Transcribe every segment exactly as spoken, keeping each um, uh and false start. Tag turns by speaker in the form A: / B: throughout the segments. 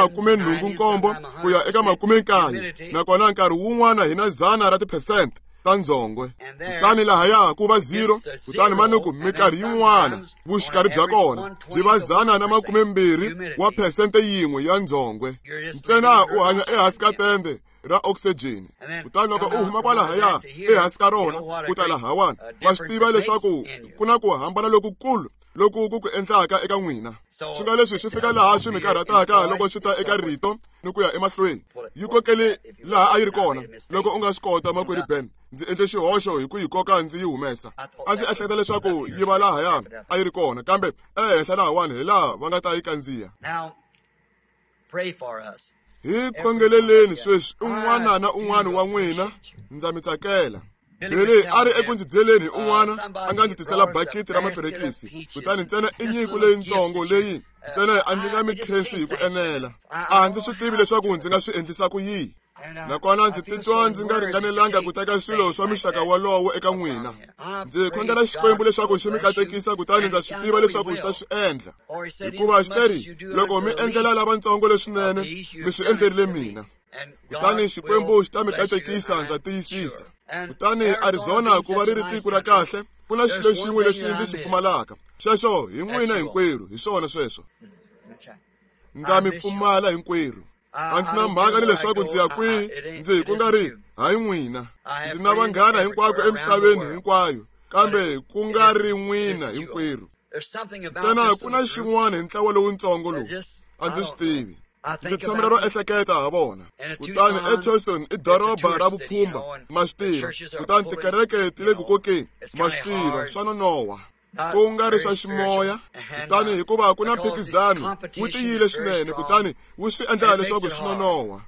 A: makume nhungu nkombo ku ya eka makume nkaye, nakona nkarhi wun'wana hi na dzana ra tiphesente ta ndzhongwe. Kutani lahaya ku va zero, kutani manuku minkarhi yin'wana vuxikarhi bya kona byi va dzana na makume mbirhi wa phesente yin'we ya ndzhongwe. Ntsena u hanya ehansi ka tende ra oxygen. Kutani loko u huma kwalahaya ehansi ka rona ku ta lahawani, wa swi tiva leswaku ku na ku hambana lokukulu loku ku ku endlaka eka n'wina. Swi nga leswi swi fika laha swi mi karhataka loko swi ta eka rito ni ku ya emahlweni. Yi kokele laha a yi ri kona. Loko u nga swi kota, makwerhu Ben, ndzi endle xihoxo hi ku yi koka ndzi yi humesa. A ndzi ehleketa leswaku yi va lahaya a yi ri kona, kambe ehenhla lahawani hi laha va nga ta yi kandziya. Hi khongeleleni sweswi un'wana na un'wana wa n'wina, ndza mi tsakela. Billy a ri eku ndzi byeleni hi un'wana a nga ndzi tisela bakiti ra maperekisi, kutani ntsena i nyiko leyintsongo leyi ntsena a ndzi nga mi khensi hi ku enela. A ndzi swi tivi leswaku ndzi nga swi endlisa ku yini, nakona ndzi titwa ndzi nga ringanelanga ku teka swilo swa mixaka wolowo eka n'wina. Ndzi khongela Xikwembu leswaku xi mi katekisa, kutani ndza swi tiva leswaku xi ta swi endla, hikuva xi teri loko mi endlela lavatsongo leswinene mi swi endlerile mina. Kutani Xikwembu xi ta mi katekisa, ndza tiyisisa. Kutani Arizona ku va ri ri tiko ra kahle, ku na xilo xin'we lexi ndzi xi pfumalaka, xexo hi n'wina hinkwerhu. Hi swona sweswo, ndza mi pfumala hinkwerhu. A ndzi na mhaka ni leswaku ndzi ya kwihi, ndzi ku nga ri hayi n'wina. Ndzi na vanghana hinkwako emisaveni hinkwayo, kambe ku nga ri n'wina hinkwerhu. Ntsena ku na xin'wana hi ntlawa lowuntsongo lowu a ndzi swi tivi. Ndzi tshamela ro ehleketa ha vona. Kutani eTucson i doroba ra vupfhumba, ma swi tiva. Kutani tikereke ti le ku kokeni, ma swi tiva, swa nonoha, ku nga ri swa ximoya. Kutani hikuva ku na mphikizano wu tiyile swinene, kutani wu swi endla leswaku swi nonoha.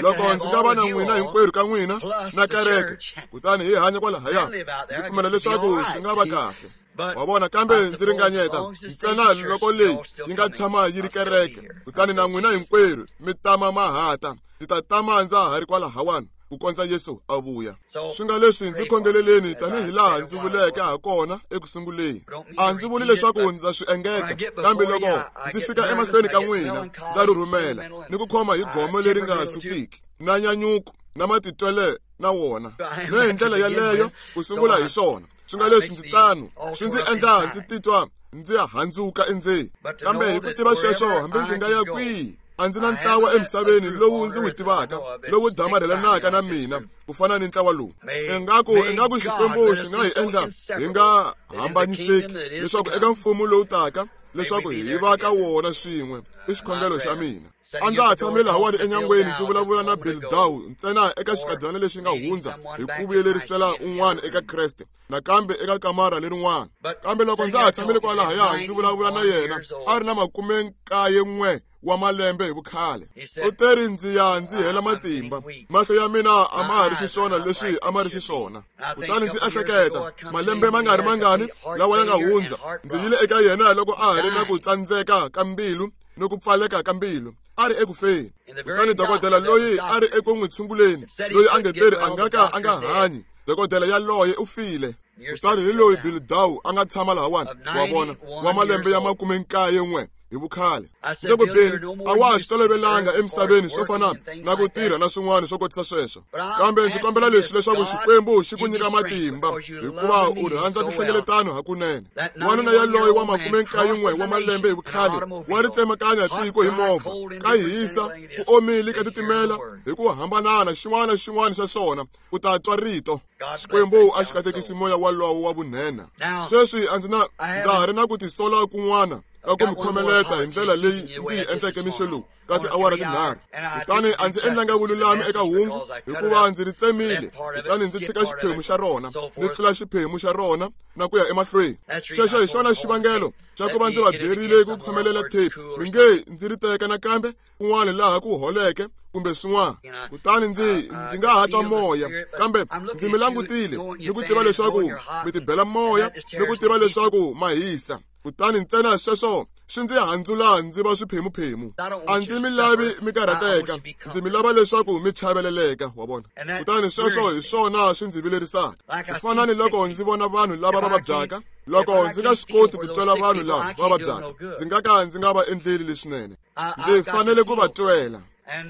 A: Loko ndzi nga va na n'wina hinkwerhu ka n'wina na kereke, kutani hi hanya kwalahaya, ndzi pfumela leswaku swi nga va kahle. Wa vona, kambe ndzi ringanyeta ntsena loko leyi yi nga tshama yi ri kereke, kutani na n'wina hinkwerhu mi tama mahata, ndzi ta tama ndza ha ri kwalahawani ku kondza Yesu a vuya. Swi nga leswi ndzi khongeleleni tanihi laha ndzi vuleke ha kona eku sunguleni. A ndzi vuli leswaku ndza swi engeta, kambe loko ndzi fika emahlweni ka n'wina ndza rhurhumela ni ku khoma hi gome leri nga sukiki na nyanyuko na matitwele na wona. Ni hi ndlela yaleyo ku sungula hi swona. Swi nga leswi ndzi tano swi ndzi endla ndzi titwa ndzi handzuka endzeni, kambe hi ku tiva sweswo hambi ndzi nga ya kwihi, a ndzi na ntlawa emisaveni lowu ndzi wu tivaka lowu damarhelanaka na mina ku fana ni ntlawa lowu. Ingaku ingaku Xikwembu xi nga hi endla hi nga hambanyiseki, leswaku eka mfumo lowu taka leswaku hi va ka wona swin'we. I xikhongelo xa mina. A ndza ha tshamile lahawani enyangweni ndzi vulavula na Bill Dow ntsena eka xikadyana lexi nga hundza hi ku vuyelerisela un'wana eka Kreste, nakambe eka kamara lerin'wana. Kambe loko ndza ha tshamile kwalahaya ndzi vulavula na yena, a ri na makume nkaye n'we wa malembe hi vukhale. U teri ndzi ya ndzi hela matimba, mahlo ya mina a ma ha ri xiswona leswi a ma ri xiswona. Kutani ndzi ehleketa malembe ma nga ri mangani lawa ya nga hundza, ndzi yile eka yena loko a ha ri na ku tsandzeka ka mbilu ni ku pfaleka ka mbilu, a ri eku feni. Kutani dokodela loyi a ri eku n'wi tshunguleni, loyi a nge teri a nga ka a nga hanyi, dokodela yaloye u file. Kutani hi loyi Bill Dow a nga tshama lahawani, wa vona, wa malembe ya makume nkaye n'we hi vukhale. Ndzi ku Bill, a wa ha swi tolovelanga emisaveni swo fana na ku tirha na swin'wana swo kotisa sweswo, kambe ndzi kombela leswi leswaku Xikwembu xi ku nyika matimba, hikuva u rhandza tinhlengeletano hakunene. Wanuna yaloye wa makume nkaye n'we wa malembe hi vukhale wa ri tsemakanya tiko hi movha, ka hisa, ku omile, ka titimela, hi ku hambanana xin'wana na xin'wana xa swona, u ta twa rito. Xikwembu a xi katekisi moya walowo wa vunhenha. Sweswi a ndzi na ndza ha ri na ku tisola kun'wana ka ku mi khomeleta hi ndlela leyi ndzi yi endleke mixo lowu ka tiawara tinharhu. Kutani a ndzi endlanga vululami eka hungu, hikuva ndzi ri tsemile, kutani ndzi tshika xiphemu xa rona, ndzi tlula xiphemu xa rona na ku ya emahlweni. Xexo hi xona xivangelo xa ku va ndzi va byerile ku khomelela tape. Mi nge ndzi ri teka nakambe kun'wana laha ku holeke kumbe swin'wana, kutani ndzi ndzi nga ha twa moya, kambe ndzi mi langutile ni ku tiva leswaku mi tibela moya ni ku tiva leswaku ma hisa. Kutani ntsena sweswo swi ndzi handzula ndzi va swiphemuphemu. A ndzi mi lavi mi karhateka, ndzi mi lava leswaku mi chaveleleka, wa vona. Kutani sweswo hi swona swi ndzi vilerisaka. Ku fana ni loko ndzi vona vanhu lava va vabyaka, loko ndzi nga swi koti ku twela vanhu lava va vabyaka, ndzi nga ka ndzi nga va endleli leswinene. Ndzi fanele ku va twela.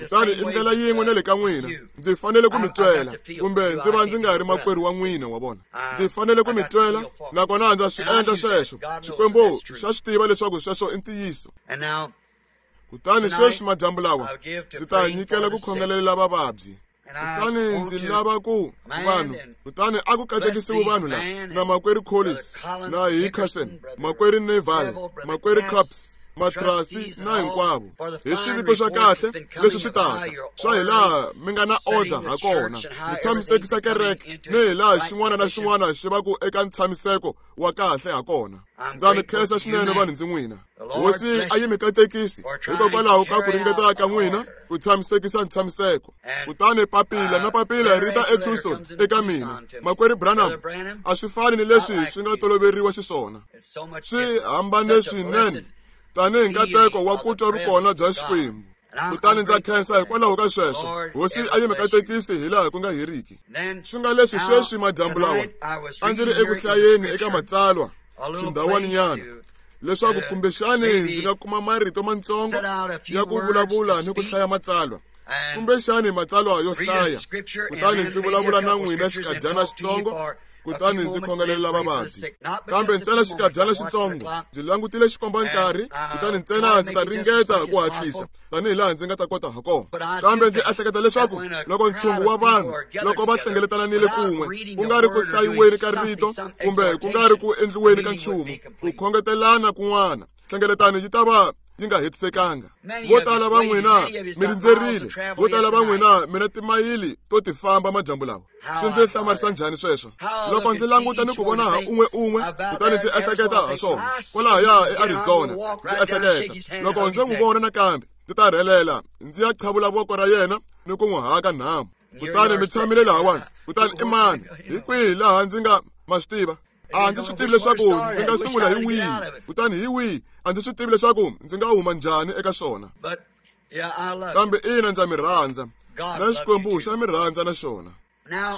A: Kutani i ndlela yin'we na le ka n'wina, ndzi fanele ku mi twela, kumbe ndzi va ndzi nga ri makwerhu wa n'wina, wa vona. Ndzi fanele ku mi twela, nakona ndza swi endla sweswo. Xikwembu xa swi tiva leswaku sweswo i ntiyiso. Kutani sweswi madyambu lawa ndzi ta nyikela ku khongelela vavabyi. Kutani ndzi lava ku vanhu, kutani a ku katekisiwe vanhu lava, na makwerhu Collins, na Hickerson, makwerhu Neville, makwerhu Capps, matrasti na hinkwavo, hi xiviko xa kahle leswi swi taka swa hi laha mi nga na order ha kona, mi tshamisekisa kereke ni hi laha xin'wana na xin'wana xi va ku eka ntshamiseko wa kahle ha kona. Ndza mi khensa swinene vanhu ndzi n'wina. Hosi a yi mi katekisi hikokwalaho ka ku ringeta ka n'wina ku tshamisekisa ntshamiseko. Kutani papila na papila ri ta eTucson eka mina. Makwerhu Branham, a swi fani ni leswi swi nga toloveriwa xiswona, swi hambane swinene tanihi nkateko wa ku twa vukona bya Xikwembu. Kutani ndza khensa hikwalaho ka sweswo. Hosi a yi mi katekisi hi laha ku nga heriki. Swi nga leswi sweswi madyambu lawa a ndzi ri eku hlayeni eka matsalwa xindhawaninyana, leswaku kumbexani ndzi nga kuma marito matsongo ya ku vulavula ni ku hlaya matsalwa, kumbexani matsalwa yo hlaya, kutani ndzi vulavula na n'wina xikadyana xitsongo, kutani ndzi khongelela vavabyi. Kambe ntsena xikadyana xitsongo, ndzi langutile xikomba nkarhi, kutani ntsena ndzi ta ringeta ku hatlisa tanihi laha ndzi nga ta kota ha kona. Kambe ndzi ehleketa leswaku loko ntshungu wa vanhu loko va hlengeletanile kun'we, ku nga ri ku hlayiweni ka rito kumbe ku nga ri ku endliweni ka nchumu, ku khongetelana kun'wana, nhlengeletano yi ta va yi nga hetisekanga. Vo tala va n'wina mi rindzerile, vo tala va n'wina mi na timayili to ti famba madyambu lawa. Swi ndzi hlamarisa njhani sweswo loko ndzi languta ni ku vona ha un'we un'we, kutani ndzi ehleketa ha swona kwalahaya eArizona. Ndzi ehleketa loko ndzi n'wi vona nakambe, ndzi ta rhelela ndzi ya qhavula voko ra yena ni ku n'wi haka nhamu. Kutani mi tshamile lahawani, kutani i mani, hi kwihi laha ndzi nga ma swi tiva? A ndzi swi tivi leswaku ndzi nga sungula hi wihi, kutani hi wihi a ndzi swi tivi leswaku ndzi nga huma njhani eka swona. Kambe ina, ndza mi rhandza, na Xikwembu xa mi rhandza na xona.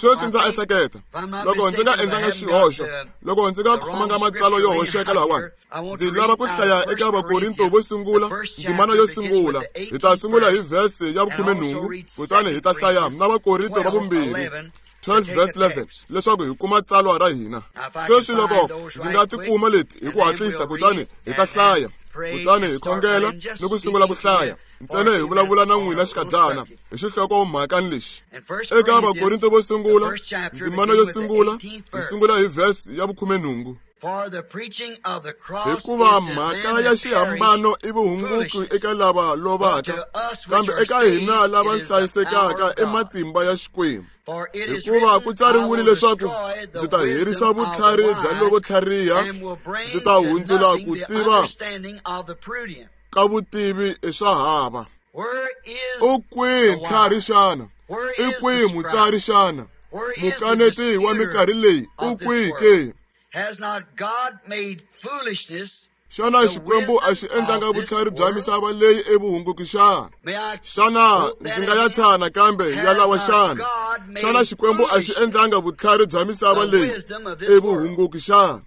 A: Sweswi ndza ehleketa loko ndzi nga endlanga xihoxo, loko ndzi nga khomanga matsalwa yo hoxeka lahawani, ndzi lava ku hlaya eka Vakorinto vo sungula, ndzimana yo sungula. Hi ta sungula hi vhesi ya vukhumenhungu, kutani hi ta hlaya na Vakorinto va vumbirhi twelve verse eleven, leswaku hi kuma tsalwa ra hina. Sweswi loko ndzi nga ti kuma leti hi ku hatlisa, kutani hi ta hlaya, kutani hi khongela ni ku sungula ku hlaya, ntsena hi vulavula na n'wina xikadyana hi xihlokomhakani lexi. Eka Vakorinto vo sungula, ndzimana yo sungula, hi sungula hi vhesi ya vukhumenhungu. Hikuva mhaka ya xihambano i vuhunguki eka lava lovaka, kambe eka hina lava hlayisekaka i matimba ya Xikwembu. Hikuva ku tsariwile leswaku ndzi ta herisa vutlhari bya lavo tlhariha, ndzi ta hundzula ku tiva ka vutivi i swa hava. U kwihi ntlhari xana? I kwihi mutsari xana? Mukaneti wa minkarhi leyi u kwihi ke? Xana Xikwembu a xi endlanga vutlhari bya misava leyi evuhunguki xana? Xana ndzi nga ya tshana kambe ya lawa xana? Xana Xikwembu a xi endlanga vutlhari bya misava leyi evuhunguki xana?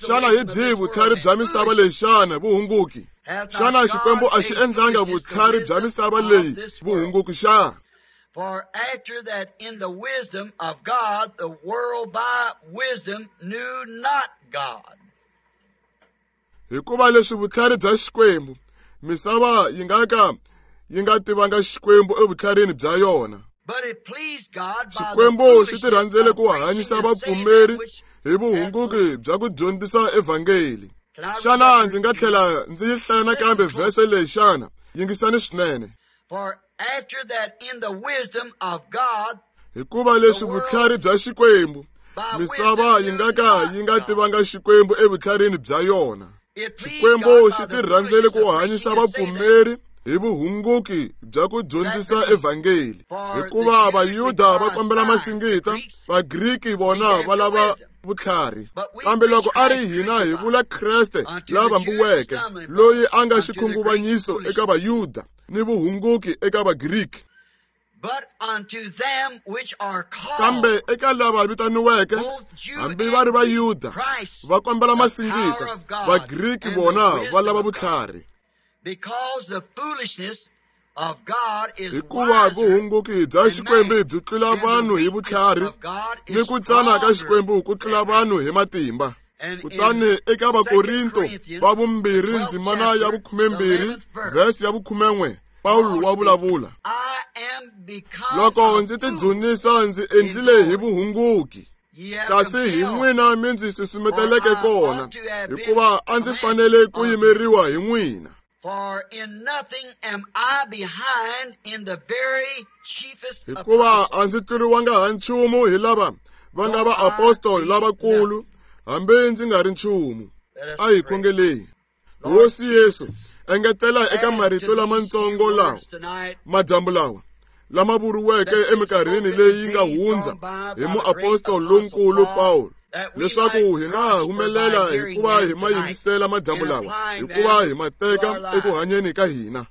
A: Xana hi byihi vutlhari bya misava leyi xana vuhunguki? Xana Xikwembu a xi endlanga vutlhari bya misava leyi vuhunguki xana?
B: For after that in the wisdom of God, the world by wisdom knew not God.
A: Hikuva leswi vutlhari bya Xikwembu, misava yi nga ka yi nga tivanga Xikwembu evutlharini bya yona. Xikwembu xi ti rhandzele ku hanyisa vapfumeri hi vuhunguki bya ku dyondzisa evhangeli. Xana ndzi nga tlhela ndzi yi hlaya nakambe vhese leyi xana? Yingisani swinene.
B: For after that in the wisdom of God,
A: hikuva leswi vutlhari bya Xikwembu, misava yi nga ka yi nga tivanga Xikwembu evutlharini bya yona. Xikwembu xi ti rhandzele ku hanyisa vapfumeri hi vuhunguki bya ku dyondzisa evhangeli. Hikuva Vayuda va kombela masingita, Vagriki vona va lava vutlhari. Kambe loko a ri hina hi vula Kreste la vambiweke, loyi a nga xikhunguvanyiso eka Vayuda ni vuhunguki eka Vagriki. Kambe eka lava vitaniweke, hambi va ri Vayuda, va kombela masingita, Vagriki vona va lava vutlhari. Hikuva vuhunguki bya Xikwembu byi tlula vanhu hi vutlhari, ni ku tsana ka Xikwembu ku tlula vanhu hi matimba. Kutani eka Vakorinto va vumbirhi ndzimana ya vukhumembirhi vhesi ya vukhumen'we, Pawulo wa vulavula. Loko ndzi tidzunisa ndzi endlile hi vuhunguki, kasi hi n'wina mi ndzi susumeteleke kona, hikuva a ndzi fanele ku yimeriwa hi n'wina. Hikuva a ndzi tluriwanga ha nchumu hi lava va nga vaapostoli lavakulu, hambi ndzi nga ri nchumu. A hi khongeleni. Hosi Yesu, engetela eka marito lamatsongo lawa madyambu lawa lama vuriweke eminkarhini leyi nga hundza hi muapostoli lonkulu Pawulo, leswaku hi nga humelela hikuva hi ma yingisela madyambu lawa, hikuva hi ma teka eku hanyeni ka hina,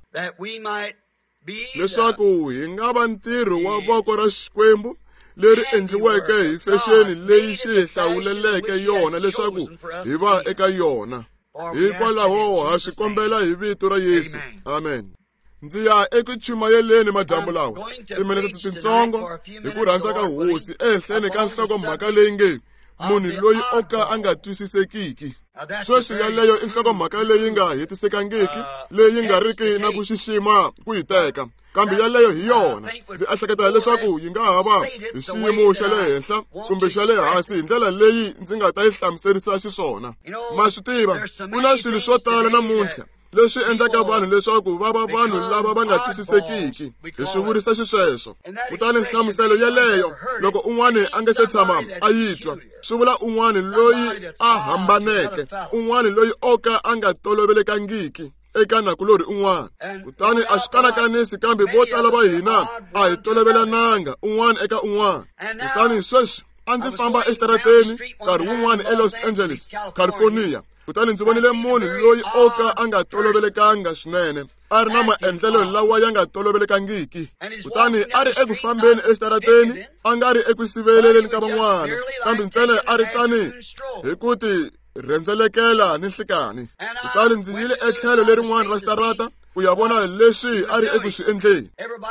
A: leswaku hi nga va ntirho wa voko ra Xikwembu leri endliweke hi fexeni leyi xi hi hlawuleleke yona leswaku hi va eka yona. Hikwalaho ha swi kombela hi vito ra Yesu. Amen. Ndzi ya eku chumayeleni madyambu lawa timinete tintsongo hi ku rhandza ka Hosi ehenhleni ka nhlokomhaka leyi nge munhu loyi o ka a nga twisisekiki. Sweswi yaleyo i nhlokomhaka leyi nga hetisekangiki, leyi nga riki na ku xixima ku yi teka, kambe yaleyo hi yona. Ndzi ehleketa leswaku yi nga ha va hi xiyimo xa le henhla kumbe xa le hansi hi ndlela leyi ndzi nga ta yi hlamuserisa xiswona. Ma swi tiva, ku na swilo swo tala namuntlha leswi endlaka vanhu leswaku va va vanhu lava va nga twisisekiki, hi swi vurisa xisweswo. Kutani nhlamuselo yeleyo, loko un'wana a nga se tshama a yi twa, swi vula un'wana loyi a hambaneke, un'wana loyi o ka a nga tolovelekangiki eka nakulorhi un'wana. Kutani a swi kanakanisi, kambe vo tala va hina a hi tolovelananga un'wana eka un'wana. Kutani sweswi a ndzi famba exitarateni nkarhi wun'wana eLos Angeles, California, kutani ndzi vonile munhu loyi o ka a nga tolovelekanga swinene, a ri na maendlelo lawa ya nga tolovelekangiki. Kutani a ri eku fambeni exitarateni, a nga ri eku siveleleni ka van'wana, kambe ntsena a ri tani hi ku ti rhendzelekela ni nhlikani. Kutani ndzi yile etlhelo lerin'wana ra xitarata ku ya vona leswi a ri eku swi endleni.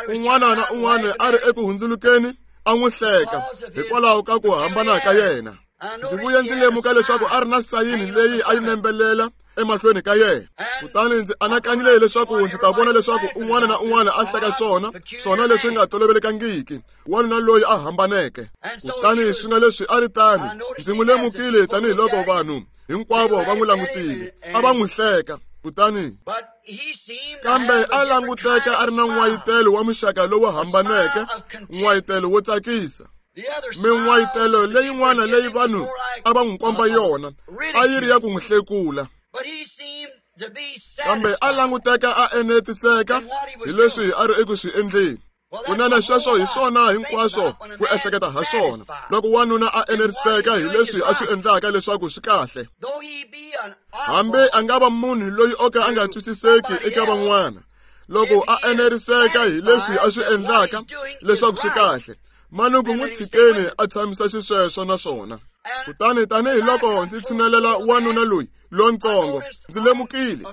A: Un'wana na un'wana a ri eku hundzulukeni a n'wi hleka hikwalaho ka ku hambana ka yena. Ndzi vuye ndzi lemuka leswaku a ri na sayini leyi a yi nembelela emahlweni ka yena. Kutani ndzi anakanyile leswaku ndzi ta vona leswaku un'wana na un'wana a hleka swona, swona leswi nga tolovelekangiki, wanuna loyi a hambaneke. Kutani swi nga leswi a ri tani, ndzi n'wi lemukile tanihiloko vanhu hinkwavo va n'wi langutile, a va n'wi hleka. Kutani kambe a languteka a ri na n'wayitelo wa muxaka lowu hambaneke, n'wayitelo wo tsakisa. Min'wayitelo leyin'wana leyi vanhu a va n'wi komba yona a yi ri ya ku n'wi hlekula, kambe a languteka a enetiseka hi leswi a ri eku swi endleni. Kunene sweswo hi swona hinkwaswo ku ehleketa ha swona, loko wanuna a eneriseka hi leswi a swi endlaka leswaku swi kahle. Hambi a nga va munhu loyi o ka a nga twisiseki eka van'wana, loko a eneriseka hi leswi a swi endlaka leswaku swi kahle, manuku n'wi tshikeni a tshamisa xisweswo na swona. Kutani tanihiloko ndzi tshinelela wanuna loyi lontsongo, ndzi lemukile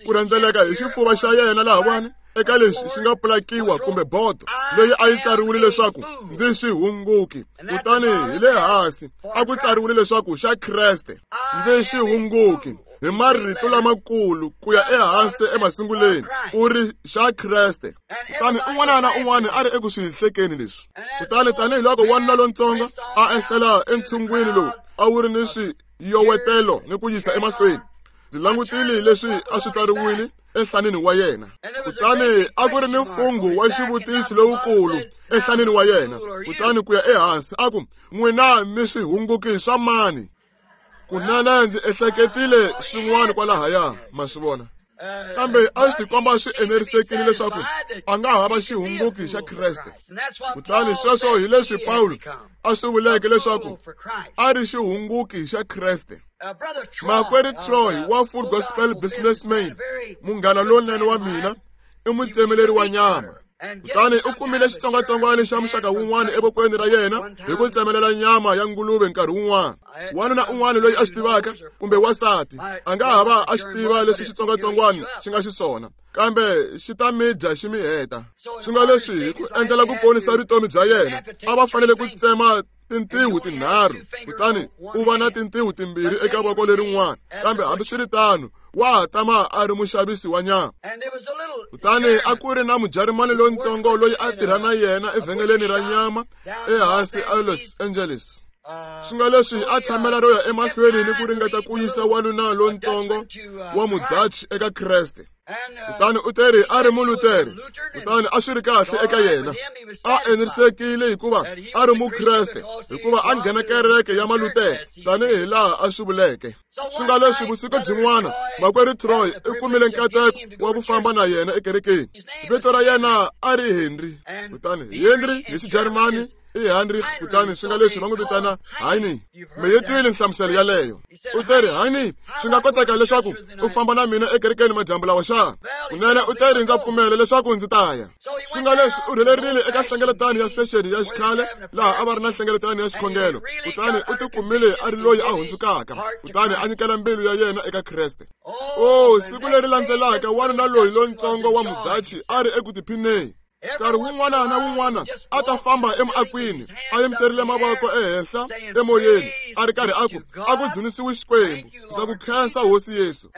A: ku rhendzeleka hi xifuva xa yena lahawani eka lexi xi nga pulakiwa kumbe bodo leyi a yi tsariwile leswaku ndzi xihunguki, kutani hi le hansi a ku tsariwile leswaku xa Kreste. Ndzi xihunguki hi marito lamakulu ku ya ehansi emasunguleni ku ri xa Kreste. Kutani un'wana na un'wana a ri eku swi hlekeni leswi. Kutani tanihiloko wanuna lontsongo a ehlela entshungwini lowu a wu ri ni swiyowetelo ni ku yisa emahlweni, ndzi langutile leswi a swi tsariwile enhlanini wa yena. Kutani a ku ri ni mfungho wa xivutiso lowukulu enhlanini wa yena. Kutani ku ya ehansi a ku, n'wina mi swihunguki swa mani? Kunene ndzi ehleketile swin'wana kwalahaya, ma swi vona. Kambe a swi tikomba swi enerisekile leswaku a nga ha va xihunguki xa Kreste. Kutani sweswo hi leswi Pawulo a swi vuleke leswaku a ri xihunguki xa Kreste. Makwerhu Troy wa Full Gospel Businessman, munghana lonene wa mina, i mutsemeleri wa nyama. Kutani u kumile xitsongwatsongwana xa muxaka wun'wana evokweni ra yena hi ku tsemelela nyama ya nguluve nkarhi wun'wana. Wanuna un'wana loyi a swi tivaka kumbe wansati a nga ha va a xi tiva leswi xitsongwatsongwana xi nga xiswona, kambe xi ta mi dya xi mi heta. Swi nga leswi hi ku endlela ku ponisa vutomi bya yena a va fanele ku tsema tintiho tinharhu, kutani u va na tintiho timbirhi eka voko lerin'wana, kambe hambiswiritano wa ha tama a ri muxavisi wa nyama. Kutani a ku ri na Mujarimani lontsongo loyi a tirha na yena evhengeleni ra nyama ehansi a Los Angeles. Swi nga leswi a tshamela ro ya emahlweni ni ku ringeta ku yisa wanuna lontsongo wa Mudachi eka Kreste. Kutani u teri a ri Mulutere, kutani a swi ri kahle eka yena. A enerisekile hikuva a ri Mukreste, hikuva a nghena kereke ya Malutere tanihi laha a swi vuleke. Swi nga leswi vusiku byin'wana makwerhu Troy u kumile nkateko wa ku famba na yena ekerekeni. Vito ra yena a ri Henry, kutani Henry hi Xijarimani i Heinrich, kutani swi nga leswi va n'wi vitana Heini. Mi yi twile nhlamuselo yaleyo. U teri, Heini, swi nga koteka leswaku u famba na mina ekerekeni madyambu lawa xana? Kunene u teri, ndza pfumela leswaku ndzi ta ya. Swi nga leswi u rhelerile eka nhlengeletano ya fexeni ya xikhale laha a va ri na nhlengeletano ya xikhongelo, kutani u tikumile a ri loyi a hundzukaka, kutani a nyikela mbilu ya yena eka Kreste. O, siku leri landzelaka wanuna loyi lontsongo wa Mudachi a ri eku tiphineni. Nkarhi wun'wana na wun'wana a ta famba emuakwini a yimiserile mavoko ehenhla emoyeni a ri karhi a ku, a ku dzunisiwi Xikwembu, ndza ku khensa Hosi Yesu.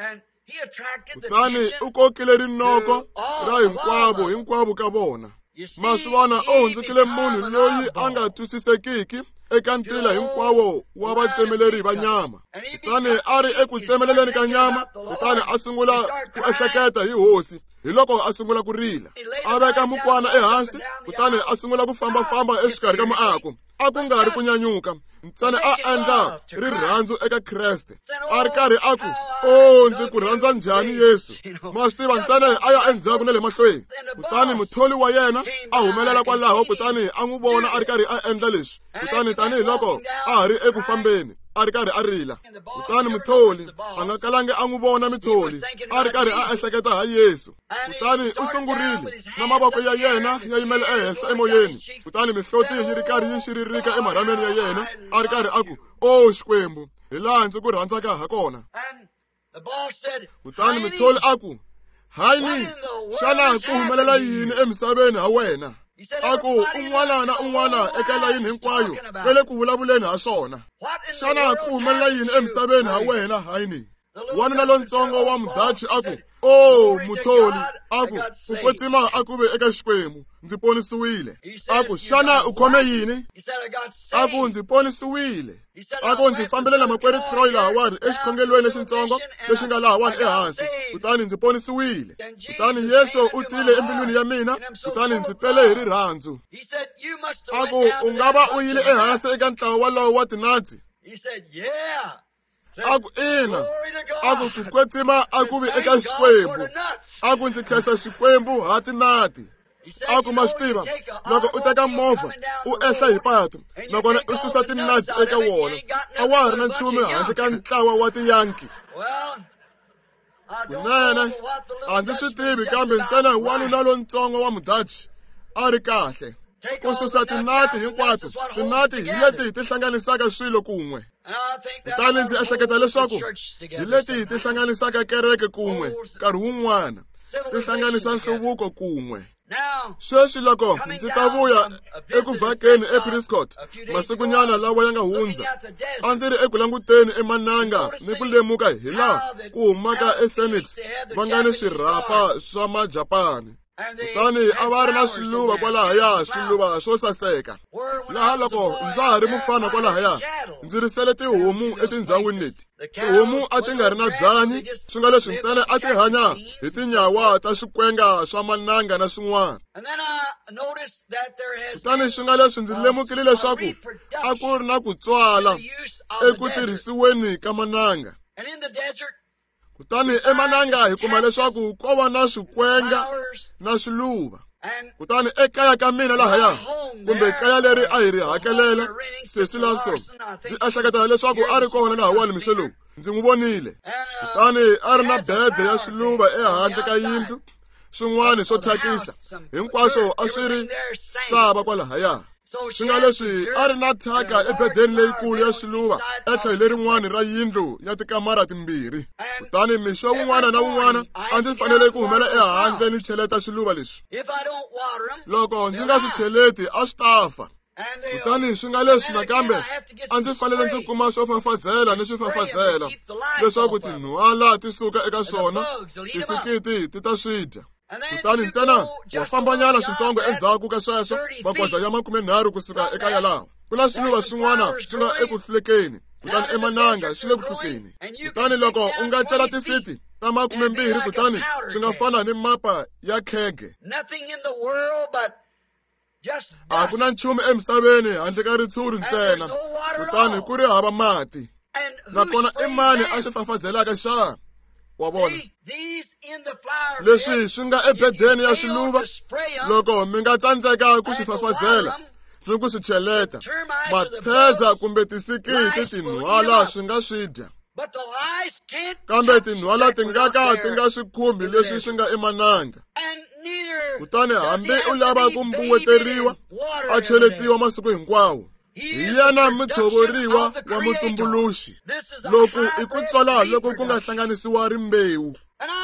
A: Kutani u kokile rinoko ra hinkwavo hinkwavo ka vona. Maswivona u hundzukile munhu loyi a nga twisisekiki eka ntila hinkwawo wa vatsemeleri va nyama. Kutani a ri eku tsemeleleni ka nyama, kutani a sungula ku ehleketa hi Hosi. Hi loko a sungula ku rila, a veka mukwana ehansi, kutani a sungula ku fambafamba exikarhi ka muako. A ku nga ri ku nyanyuka, ntsena a endla rirhandzu eka Kreste. A ri karhi a ku, o, ndzi ku rhandza njhani Yesu. Ma swi tiva, ntsena a ya endzhaku na le mahlweni. Kutani mutholi wa yena a humelela kwalaho, kutani a n'wi vona a ri karhi a endla leswi. Kutani tanihiloko a ha ri eku fambeni, a ri karhi a rila. Kutani mutholi a nga kalangi a n'wi vona mutholi, a ri karhi a ehleketa ha Yesu. Kutani u sungurile na mavoko ya yena ya yimela ehenhla emoyeni, kutani mihloti yi ri karhi yi xiririka emarhameni ya yena, a ri karhi a ku, o Xikwembu, hi laha ndzi ku rhandzaka ha kona. Kutani mutholi a ku, Heini, xana ku humelela yini emisaveni ha wena? A ku, un'wana na un'wana eka layini hinkwayo va le ku vulavuleni ha swona. Xana ku humelela yini emisaveni ha wena, Heini? Wanuna lontsongo wa Mudachi a ku, o mutholi, a ku, ku kwetsima a ku ve eka Xikwembu, ndzi ponisiwile. A ku, xana u khome yini? A ku, ndzi ponisiwile. A ku, ndzi fambile na makwerhu Troy lahawani exikhongelweni lexintsongo lexi nga lahawani ehansi, kutani ndzi ponisiwile. Kutani Yesu u tile embilwini ya mina, kutani ndzi tele hi rirhandzu. A ku, u nga va u yile ehansi eka ntlawa walowo wa tinatsi? A ku, ina. A ku, ku kwetsima a ku vi eka Xikwembu. A ku, ndzi khensa Xikwembu ha tinati. A ku, ma swi tiva, loko u teka movha u ehla hi patu nakona u susa tinati eka wona, a wa ha ri na nchumu handle ka ntlawa wa tiyanki. Kunene a ndzi swi tivi, kambe ntsena wanuna lontsongo wa Mudachi a ri kahle. Ku susa tinati hinkwato, tinati hi leti ti hlanganisaka swilo kun'we. Kutani ndzi ehleketa leswaku hi leti ti hlanganisaka kereke kun'we nkarhi wun'wana, ti hlanganisa nhluvuko kun'we. Sweswi loko ndzi ta vuya eku vhakeni ePrescott masikunyana lawa ya nga hundza, a ndzi ri eku languteni emananga ni ku lemuka hi laha ku humaka ePhoenix va nga ni swirhapa swa Majapani. Kutani a va ri na swiluva kwalahaya, swiluva swo saseka. Laha loko ndza ha ri mufana kwalahaya, ndzi risele tihomu etindhawini leti. Tihomu a ti nga ri na byanyi, swi nga leswi ntsena a ti hanya hi tinyawa ta swikwenga swa mananga na swin'wana. Kutani swi nga leswi ndzi lemukile leswaku a ku ri na ku tswala eku tirhisiweni ka mananga. Kutani emananga hi kuma leswaku ko va na swikwenga na swiluva. Kutani ekaya ka mina lahaya, kumbe kaya leri a hi ri hakelela Sesi Larson, ndzi ehleketa leswaku a ri kona lahawani mixo lowu, ndzi n'wi vonile. Kutani a ri na bede ya swiluva ehandle ka yindlu, swin'wana swo thyakisa, hinkwaswo a swi ri sava kwalahaya. Swi nga leswi a ri na thyaka ebedeni leyikulu ya swiluva etlhelo lerin'wani ra yindlu ya tikamara timbirhi. Kutani mixo wun'wana na wun'wana a ndzi fanele ku humela ehandle ni cheleta swiluva leswi. Loko ndzi nga swi cheleti a swi ta fa. Kutani swi nga leswi nakambe a ndzi fanele ndzi kuma swo fafazela ni swifafazela leswaku tinhwala ti suka eka swona, tisikiti ti ta swi dya. Kutani ntsena wa fambanyana switsongo endzhaku ka sweswo, magoza ya makumenharhu kusuka eka yalaho, ku na swiluva swin'wana swi nga eku hlulekeni, kutani emananga swi le ku hlukeni. Kutani loko u nga cela tifiti ta makumembirhi, kutani swi nga fana ni mapa ya khege. A ku na nchumu emisaveni handle ka ritshuri ntsena, kutani ku ri hava mati. Nakona i mani a xi fafazelaka xana? Wa vona, leswi swi nga ebedeni ya swiluva, loko mi nga tsandzeka ku swi fafazela ni ku swi cheleta, mapheza kumbe tisikiti tinhwala swi nga swi dya. Kambe tinhwala ti nga ka ti nga swi khumbi leswi swi nga emananga. Kutani hambi u lava ku mbuweteriwa, a cheletiwa masiku hinkwawo. Hi yena mutshoveriwa wa mutumbuluxi. Loku i ku tswala loko ku nga hlanganisiwa rimbewu.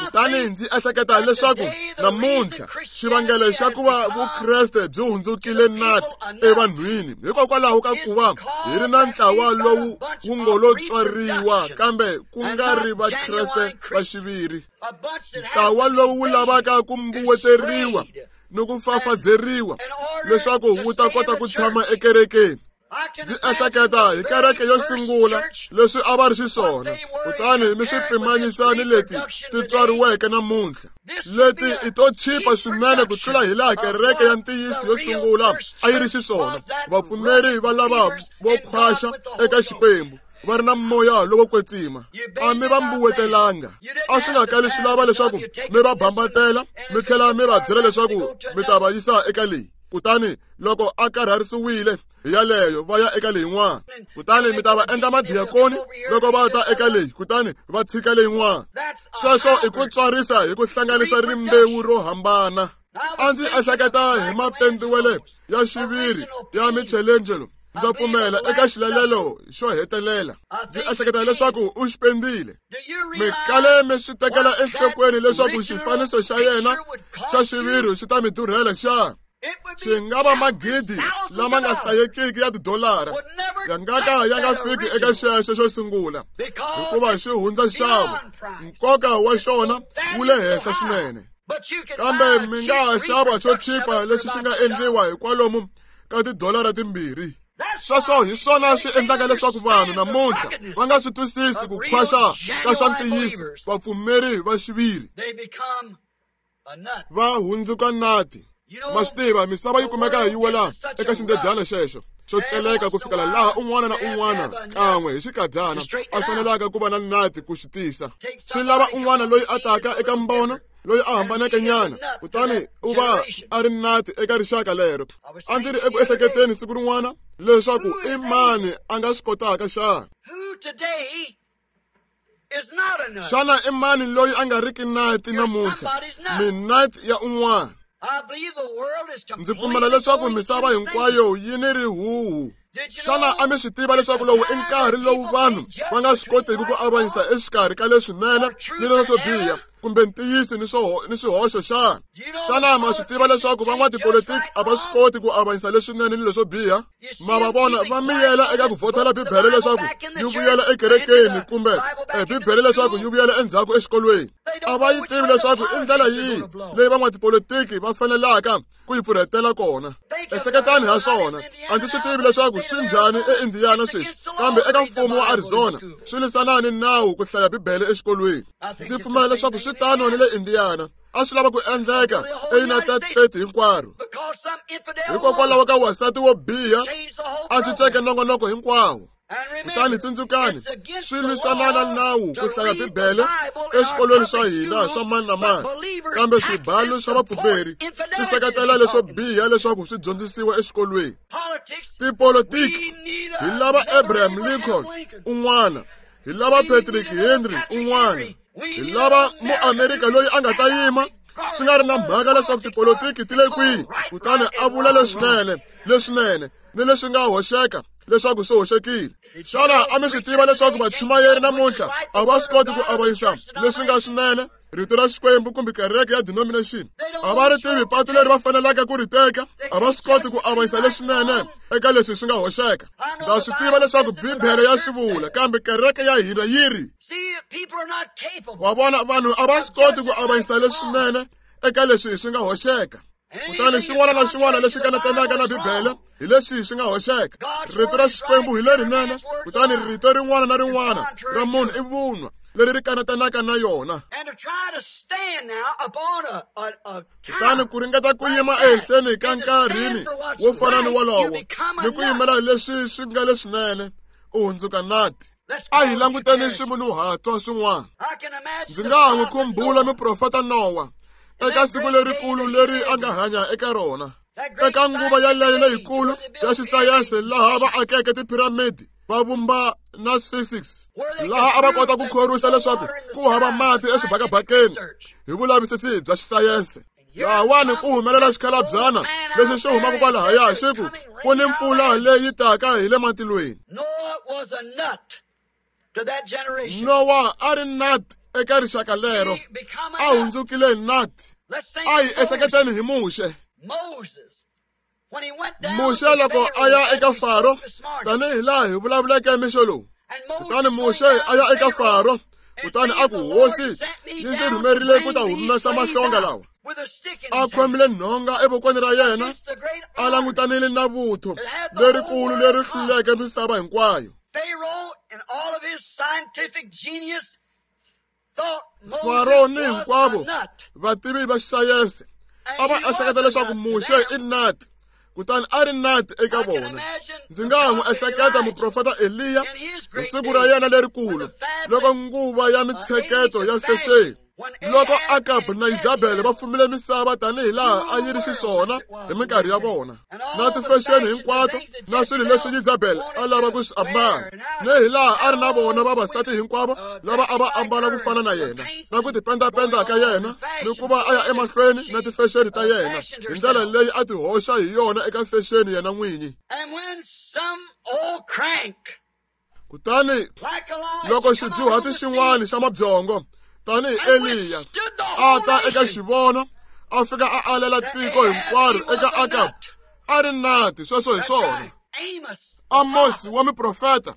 A: Kutani ndzi ehleketa leswaku namuntlha xivangelo xa ku va Vukreste byi hundzukile nati evanhwini hikokwalaho ka ku va hi ri na ntlawa lowu wu ngo lo tswariwa kambe ku nga ri Vakreste va xiviri. Ntlawa lowu wu lavaka ku mbuweteriwa ni ku fafazeriwa leswaku wu ta kota ku tshama ekerekeni. Ndzi ehleketa hi kereke yo sungula leswi a va ri xiswona, kutani mi swi pimanyisa ni leti ti tswariweke namuntlha. Leti i to chipa swinene ku tlula hi laha kereke ya ntiyiso yo sungula a yi ri xiswona. Vapfumeri va lava vo khwaxa eka Xikwembu, va ri na moya lowo kwetsima. A mi va mbuwetelanga. A swi nga kali swi lava leswaku mi va bambatela mi tlhela mi va byela leswaku mi ta va yisa eka leyi. Kutani loko a karharisiwile hi yaleyo, va ya eka leyin'wana. Kutani mi ta va endla madiyakoni loko va ta eka leyi, kutani va tshika leyin'wana. Sweswo i ku tswarisa hi ku hlanganisa rimbewu ro hambana. A ndzi ehleketa hi mapendiwele ya xiviri ya Michelangelo. Ndza pfumela eka xilalelo xo hetelela. Ndzi ehleketa leswaku u xi pendile. Mi kale mi swi tekela enhlokweni leswaku xifaniso xa yena xa xiviri xi ta mi durhela xana? Xi nga va magidi lama nga hlayekiki ya tidolara, ya nga ka ya nga fiki eka xexo xo sungula, hikuva xi hundza nxavo. Nkoka wa xona wu le henhla swinene. Kambe mi nga ha xava xo chipa lexi xi nga endliwa hi kwalomu ka tidolara timbirhi. Sweswo hi swona swi endlaka leswaku vanhu namuntlha va nga swi twisisi ku khwaxa ka swa ntiyiso. Vapfumeri va xiviri va hundzuka nati. Ma swi tiva, misava yi kumeka yi wela eka xindedyana xexo xo celeka ku fikela laha un'wana na un'wana kan'we hi xikadyana a fanelaka ku va na nati ku xi tisa. Swi lava un'wana loyi a taka eka mbono, loyi a hambaneke nyana, kutani u va a ri nati eka rixaka lero. A ndzi ri eku ehleketeni siku rin'wana leswaku i mani a nga swi kotaka xana? Xana i mani loyi a nga riki nati namuntlha? Minati ya un'wana. Ndzi pfumela leswaku misava hinkwayo yi ni rihuhu. Xana a mi swi tiva leswaku lowu i nkarhi lowu vanhu va nga swi kotiki ku avanyisa exikarhi ka leswinene ni leswo biha, kumbe ntiyiso ni swo ni swihoxo xana? Xana ma swi tiva leswaku van'watipolitiki a va swi koti ku avanyisa leswinene ni leswo biha? Ma va vona va miyela eka ku vhotela Bibele leswaku yi vuyela ekerekeni, kumbe Bibele leswaku yi vuyela endzhaku exikolweni. A va yi tivi leswaku i ndlela yihi leyi van'watipolitiki va fanelaka ku yi pfurhetela kona. Ehleketani ha swona. A ndzi swi tivi leswaku swi njhani eIndiana sweswi, kambe eka mfumo wa Arizona swi lwisana ni nawu ku hlaya Bibele exikolweni. Ndzi pfumela leswaku swi tano ni le Indiana. A swi lava ku endleka eUnited States hinkwaro. Hikokwalaho ka wasati wo biha a cinceke nongonoko hinkwawo. Kutani tsundzukani, swi lwisana na nawu ku hlaya Bibele exikolweni swa hina swa mani na mani, kambe swibalo swa vapfumeri swi seketela leswo biha leswaku swi dyondzisiwa exikolweni. Tipolitiki, hi lava Abraham Lincoln un'wana, hi lava Patrick Henry un'wana, hi lava muamerika loyi a nga ta yima swi nga ri na mhaka leswaku tipolitiki ti le kwihi, kutani a vula leswinene leswinene ni leswi nga hoxeka leswaku swi hoxekile. Xana a mi swi tiva leswaku vachumayeri namuntlha a va swi koti ku avanyisa leswi nga swinene rito ra Xikwembu kumbe kereke ya denomination? A va ri tivi patu leri va faneleke ku ri teka, a va swi koti ku avanyisa leswinene eka leswi swi nga hoxeka. Ndza swi tiva leswaku Bibele ya swi vula, kambe kereke ya hina yi ri. Wa vona, vanhu a va swi koti ku avanyisa leswinene eka leswi swi nga hoxeka. Kutani xin'wana na xin'wana lexi kanatanaka na Bibele hi leswi swi nga hoxeka. Rito ra Xikwembu hi lerinene, kutani rito rin'wana na rin'wana ra munhu i vunwa leri ri kanatanaka na yona. Kutani ku ringeta ku yima ehenhleni ka nkarhini wo fana ni wolowo ni ku yimela leswi swi nga leswinene, u hundzuka nati. A hi languteni swimunhuhatwa swin'wana. Ndzi nga ha n'wi khumbula muprofeta Nowa eka siku lerikulu leri a nga hanya eka rona, eka nguva yaleyo leyikulu ya xisayense laha va akeke tiphiramidi va vumba na physics, laha a va kota ku khorwisa leswaku ku hava mati exibakabakeni hi vulavisisi bya xisayense. Lahawani ku humelela xikhalabyana lexi xi humaka kwalahaya xi ku ku ni mpfula leyi taka hi le matilweni. Nowa a ri nut eka rixaka lero, a hundzukile nut. A hi ehleketeni hi Muxe. Muxe loko a ya eka Faro, tanihi laha hi vulavuleke mixo lowu. Kutani Muxe a ya eka Faro, kutani a ku, Hosi yi ndzi rhumerile ku ta humesa mahlonga lawa. A khomile nhonga evokweni ra yena, a langutanile na vuthu lerikulu leri hluleke misava hinkwayo. Faro ni hinkwavo vativi va xisayense a va ehleketa leswaku Muxe i nati, kutani a ri nati eka vona. Ndzi nga ha n'wi ehleketa muprofeta Eliya hi siku ra yena lerikulu, loko nguva ya mitsheketo ya fexeni, loko Akab na Isabel va fumile misava tanihi laha a yi ri xiswona hi minkarhi ya vona, na tifexeni hinkwato na swilo leswi Isabel a lava ku swi ambala, ni hi laha a ri na vona vavasati hinkwavo lava a va ambala ku fana na yena, na ku tipendapenda ka yena, ni ku va a ya emahlweni na tifexeni ta yena hi ndlela leyi a ti hoxa hi yona eka fexeni yena n'winyi. Kutani loko xidyuhati xin'wana xa mabyongo tanihi Eliya a ta eka xivono, a fika a alela tiko hinkwaro eka Akab, a ri nati. Sweswo hi swona. Amosi wa muprofeta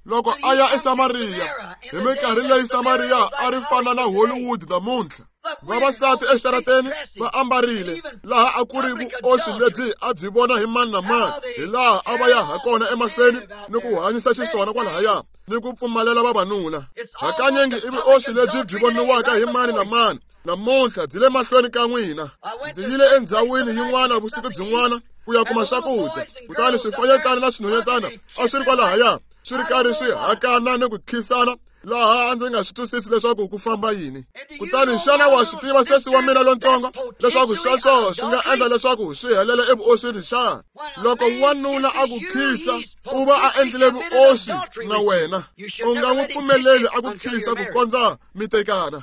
A: loko a ya eSamariya hi minkarhi leyi Samariya a ri fana na Hollywood namuntlha, vavasati exitarateni va ambarile laha a ku ri vuoswi lebyi a byi vona hi mani na mani, hi laha a va ya ha kona emahlweni ni ku hanyisa xiswona kwalahaya ni ku pfumalela vavanuna. Hakanyingi i vuoswi lebyi byi voniwaka hi mani na mani namuntlha byi le mahlweni ka n'wina. Ndzi yile endhawini yin'wana vusiku byin'wana ku ya kuma swakudya, kutani swifanyetana na swinhwanyetana a swi ri kwalahaya swi ri karhi swi hakana ni ku khisana, laha a ndzi nga swi twisisi leswaku ku famba yini. Kutani xana wa swi tiva sesi wa mina lontsongo leswaku sweswo swi nga endla leswaku swi helela evuoswini xana? Loko wanuna a ku khisa, u va a endlile vuoswi na wena. U nga n'wi pfumeleli a ku khisa ku kondza mi tekana,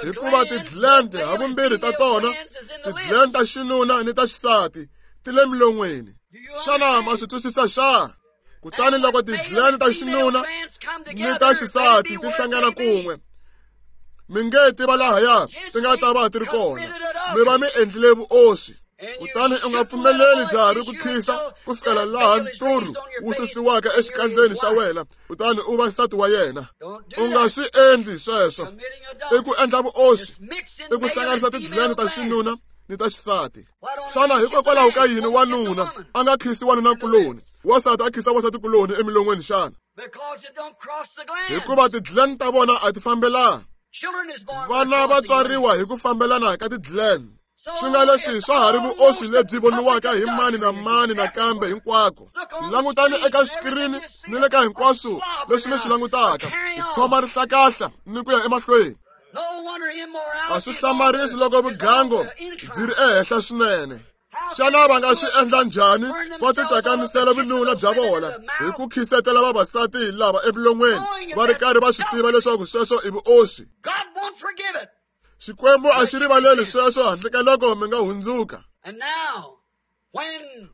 A: hikuva ti-gland havumbirhi ta tona, ti-gland ta xinuna ni ta xisati, ti le milon'weni. Xana ma swi twisisa xana? Kutani loko ti-gland ta xinuna ni ta xisati ti hlangana kun'we, mi nge tiva lahaya ti nga ta va ti ri kona, mi va mi endlile vuoswi. Kutani u nga pfumeleli jaha ri ku khisa ku fikela laha nturhu wu susiwaka exikandzeni xa wena, kutani u va nsati wa yena. U nga swi endli sweswo. I ku endla vuoswi, i ku hlanganisa ti-gland ta xinuna ni ta xisati. Xana hikokwalaho ka yini wanuna a nga khisi wanunakuloni, wansati a khisa wansatikuloni emilon'weni xana? Hikuva ti-gland ta vona a ti fambelani. Vana va tswariwa hi ku fambelana ka ti-gland. Swi nga leswi swa ha ri vuoswi lebyi voniwaka hi mani na mani nakambe hinkwako. Langutani eka xikirini ni le ka hinkwaswo leswi mi swi langutaka, ku khoma rihlakahla ni ku ya emahlweni. A swi hlamarisi loko vugango byi ri ehenhla swinene. Xana va nga swi endla njhani va titsakamisela vununa bya vona hi ku khisetela vavasati lava emilon'weni, va ri karhi va swi tiva leswaku sweswo i vuoswi? Xikwembu a xi rivaleli sweswo handle ka loko mi nga hundzuka.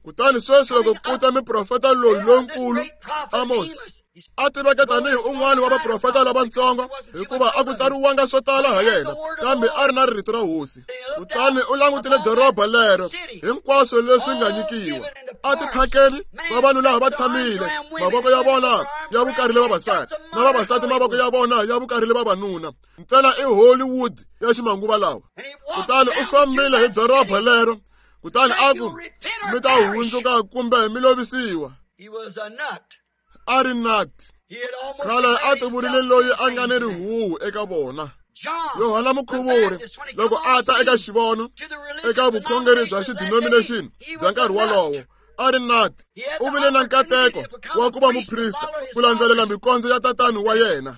A: Kutani sweswi loko ku ta miprofeta loyi lonkulu Amos, a tiveka tanihi un'wana wa vaprofeta lavatsongo hikuva a ku tsariwanga swo tala ha yena, kambe a ri na rito ra hosi. Kutani u langutile doroba lero hinkwaswo leswi nga nyikiwa. A tiphakeni vavanuna va tshamile, mavoko ya vona ya vukarhile vavasati, na vavasati mavoko ya vona ya vukarhile vavanuna. Ntsena i Hollywood ya ximanguva lawa. Kutani u fambile hi doroba lero, kutani a ku mi ta hundzuka kumbe mi lovisiwa. A ri nut. Khale a tivurile loyi a nga ni rihuhu eka vona. Yohana Mukhuvuri loko a ta eka xivono eka vukhongeri bya xidenomination bya nkarhi wolowo, a ri nut. U vile na nkateko wa ku va muprista ku landzelela mikondzo ya tatani wa yena,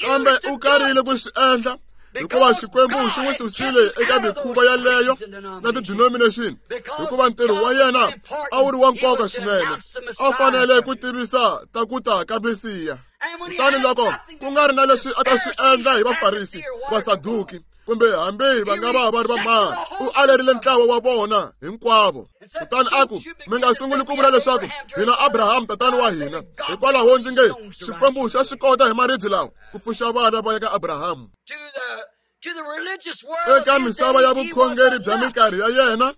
A: kambe u karile ku swi endla hikuva Xikwembu xi n'wi susile eka mikhuva yaleyo na ti-denomination, hikuva ntirho wa yena a wu ri wa nkoka swinene, a fanele ku tivisa ta ku ta ka Mesiya. Kutani loko ku nga ri na leswi a ta swi endla hi Vafarisi, Vasaduki, kumbe hambi va nga va va ri vamani, u alerile ntlawa wa vona hinkwavo. Kutani a ku mi nga sunguli ku vula leswaku hina Abraham tatani wa hina, hikwalaho ndzi nge Xikwembu xa swi kota hi maribye lawa ku pfuxa vana va ya ka Abraham. Eka misava ya vukhongeri bya minkarhi ya yena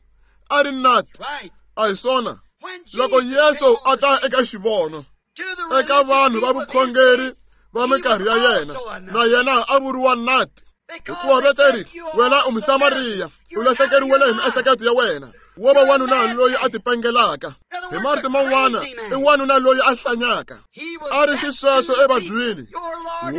A: a ri nut. A hi swona. Loko Yesu a ta eka xivono eka vanhu va vukhongeri va minkarhi ya yena, na yena a vuriwa nut, hikuva veteri wena u Musamariya, u lahlekeriwile hi miehleketo ya wena, wo va wanuna loyi a tipengelaka. Hi marito man'wana i wanuna loyi a hlanyaka. A ri xisweswo evabyini,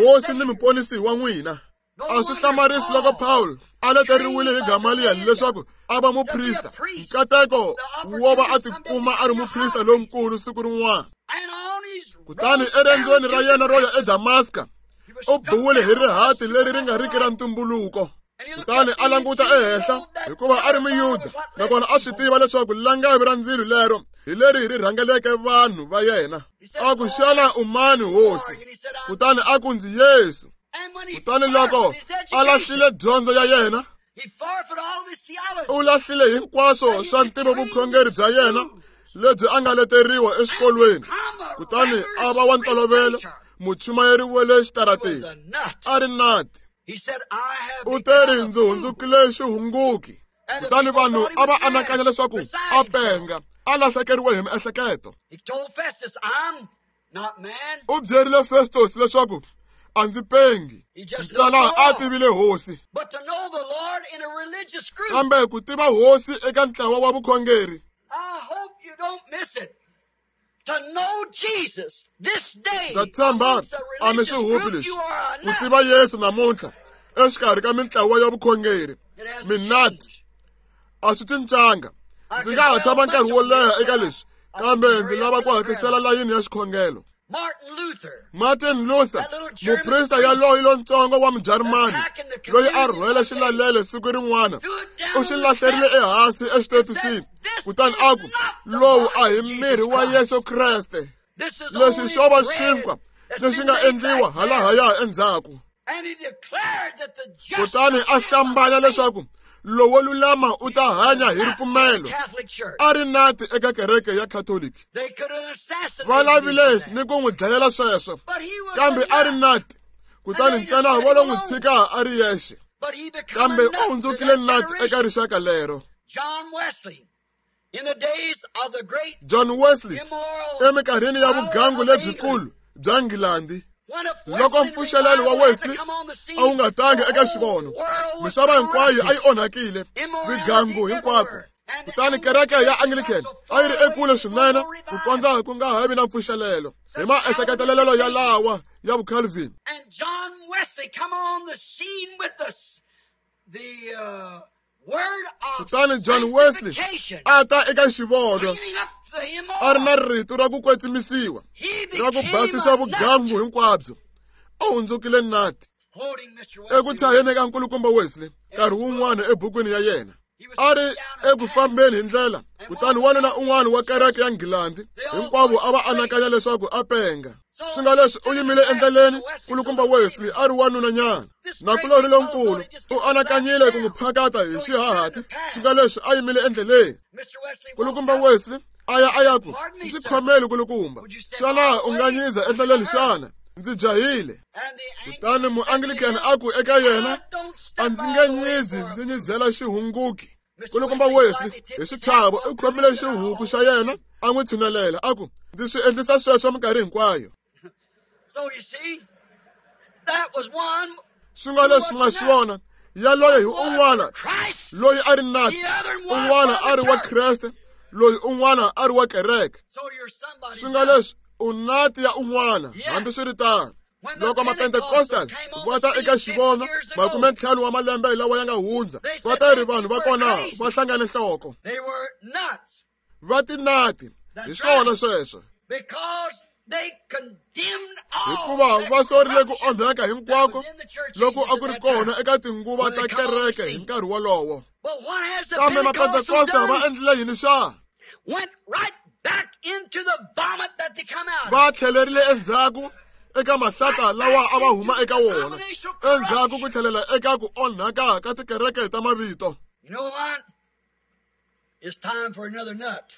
A: hosi ni muponisi wa n'wina. A swi hlamarisi loko Paul a leteriwile hi Gamaliel leswaku a va muprista, nkateko wo va a tikuma a ri muprista lonkulu siku rin'wana. Kutani eriendzweni ra yena ro ya eDamaska, u biwile hi rihati leri ri nga riki ra ntumbuluko. Kutani a languta ehenhla hikuva a ri Muyuda, nakona a swi tiva leswaku langavi ra ndzilo lero hi leri ri rhangeleke vanhu va yena. A ku xana u mani hosi? Kutani a ku ndzi Yesu. Kutani loko a lahlile dyondzo ya yena, u lahlile hinkwaswo swa ntivo vukhongeri bya yena lebyi a nga leteriwa exikolweni, kutani a va wa ntolovelo muchumayeri wa le xitarateni. A ri nut. U teri ndzi hundzukile xihunguki. Kutani vanhu a va anakanya leswaku a penga, a lahlekeriwe hi miehleketo. U byerile Festus leswaku a ndzi pengi, ntsena a tivile hosi. Kambe ku tiva hosi eka ntlawa wa vukhongeri, ndza tshemba a mi swi hupi leswi. Ku tiva Yesu namuntlha exikarhi ka mintlawa ya vukhongeri, minati a swi cincanga. Ndzi nga ha tshama nkarhi wo leha eka leswi, kambe ndzi lava ku hatlisela layini ya xikhongelo. Martin Luther, muprista yaloyi lontsongo wa Mujarimani loyi a rhwele xilalelo siku rin'wana, u xi lahlerile ehansi exitepisini, kutani a ku lowu a hi miri wa Yesu Kreste, leswi xo va xinkwa lexi nga endliwa halahaya endzhaku. Kutani a hlambanya leswaku lowo lulama u ta hanya hi ripfumelo. A ri nati eka kereke ya Catholic. Va lavile ni ku n'wi dlayela sweswo, kambe a ri nati. Kutani ntsena vo lo n'wi tshika a ri yexe, kambe u hundzukile nati eka rixaka lero. John Wesley eminkarhini ya vugangu lebyikulu bya Nghilandhi, loko mpfuxelelo wa Wesley a wu nga tangi eka xivono, misava hinkwayo a yi onhakile, vigangu hinkwako. Kutani kereke ya Anglican a yi ri ekule swinene ku kondza ku nga ha vi na mpfuxelelo hi maehleketelelo ya lawa ya vuCalvin. Kutani John Wesley a ta eka xivono a ri na rito ra ku kwetsimisiwa, ra ku basisa vugangu hinkwabyo. U hundzukile nati. Eku tshaheni ka nkulukumba Wesley nkarhi wun'wana ebukwini ya yena, a ri eku fambeni hi ndlela, kutani wanuna un'wana wa kereke ya Nghilandhi hinkwavo a va anakanya leswaku a penga. Swi nga leswi u yimile endleleni kulukumba Wesley a ri wanunanyana. Nakulorhi lonkulu u anakanyile ku n'wi phakata hi xihahati. Swi nga leswi a yimile endleleni. Kulukumba Wesley a ya a ya ku ndzi khomeli kulukumba. Xana u nga nyiza endleleni xana? Ndzi jahile. Kutani muanglican a ku eka yena a ndzi nge nyizi ndzi nyizela xihunguki. Kulukumba Wesley hi xichavo u khomile xihuku xa yena a n'wi tshinelela a ku ndzi swi endlisa sweswo minkarhi hinkwayo. Swi nga leswi nga swona yaloye hi un'wana loyi a ri nati, un'wana a ri wa Kreste, loyi un'wana a ri wa kereke. Swi nga leswi u nati ya un'wana hambiswiritano. Loko mapentekostal va ta eka xivono makume ntlhanu wa malembe lawa ya nga hundza, va ta ri vanhu va kona va hlangane nhloko. Va tinati hi swona sweswo. Hikuva va sorile ku onhaka hinkwako loko a ku ri kona eka tinguva ta kereke hi nkarhi wolowo. Kambe mapentekosta va endlile yini xa? Va tlhelerile endzhaku eka mahlata lawa a va huma eka wona, endzhaku ku tlhelela eka ku onhaka ka tikereke ta mavito.
B: You know what? It's time for another nut.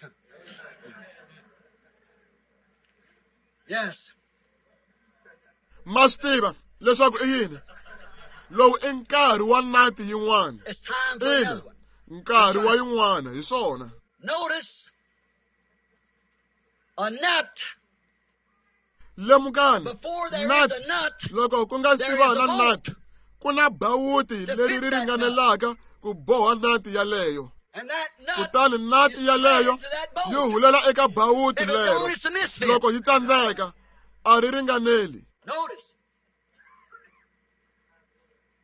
B: Yes.
A: Ma swi tiva leswaku i yini? Lowu i nkarhi wa nati yin'wana.
B: It's time for
A: Ina,
B: another one.
A: nkarhi wa yin'wana hi swona.
B: Notice a nut.
A: Lemukani,
B: Before there
A: nut
B: is a nut,
A: loko ku nga si
B: there
A: va
B: is
A: na
B: a bolt.
A: nut, ku na bawuti
B: To
A: leri
B: fit
A: ri
B: that nut.
A: ringanelaka ku boha nati yaleyo.
B: And that nut
A: Kutani nati
B: is
A: yaleyo
B: threaded to that bolt.
A: yi hulela eka bawuti
B: If it
A: lero.
B: don't, it's a misfit.
A: Loko yi tsandzeka, a ri ringaneli.
B: Notice.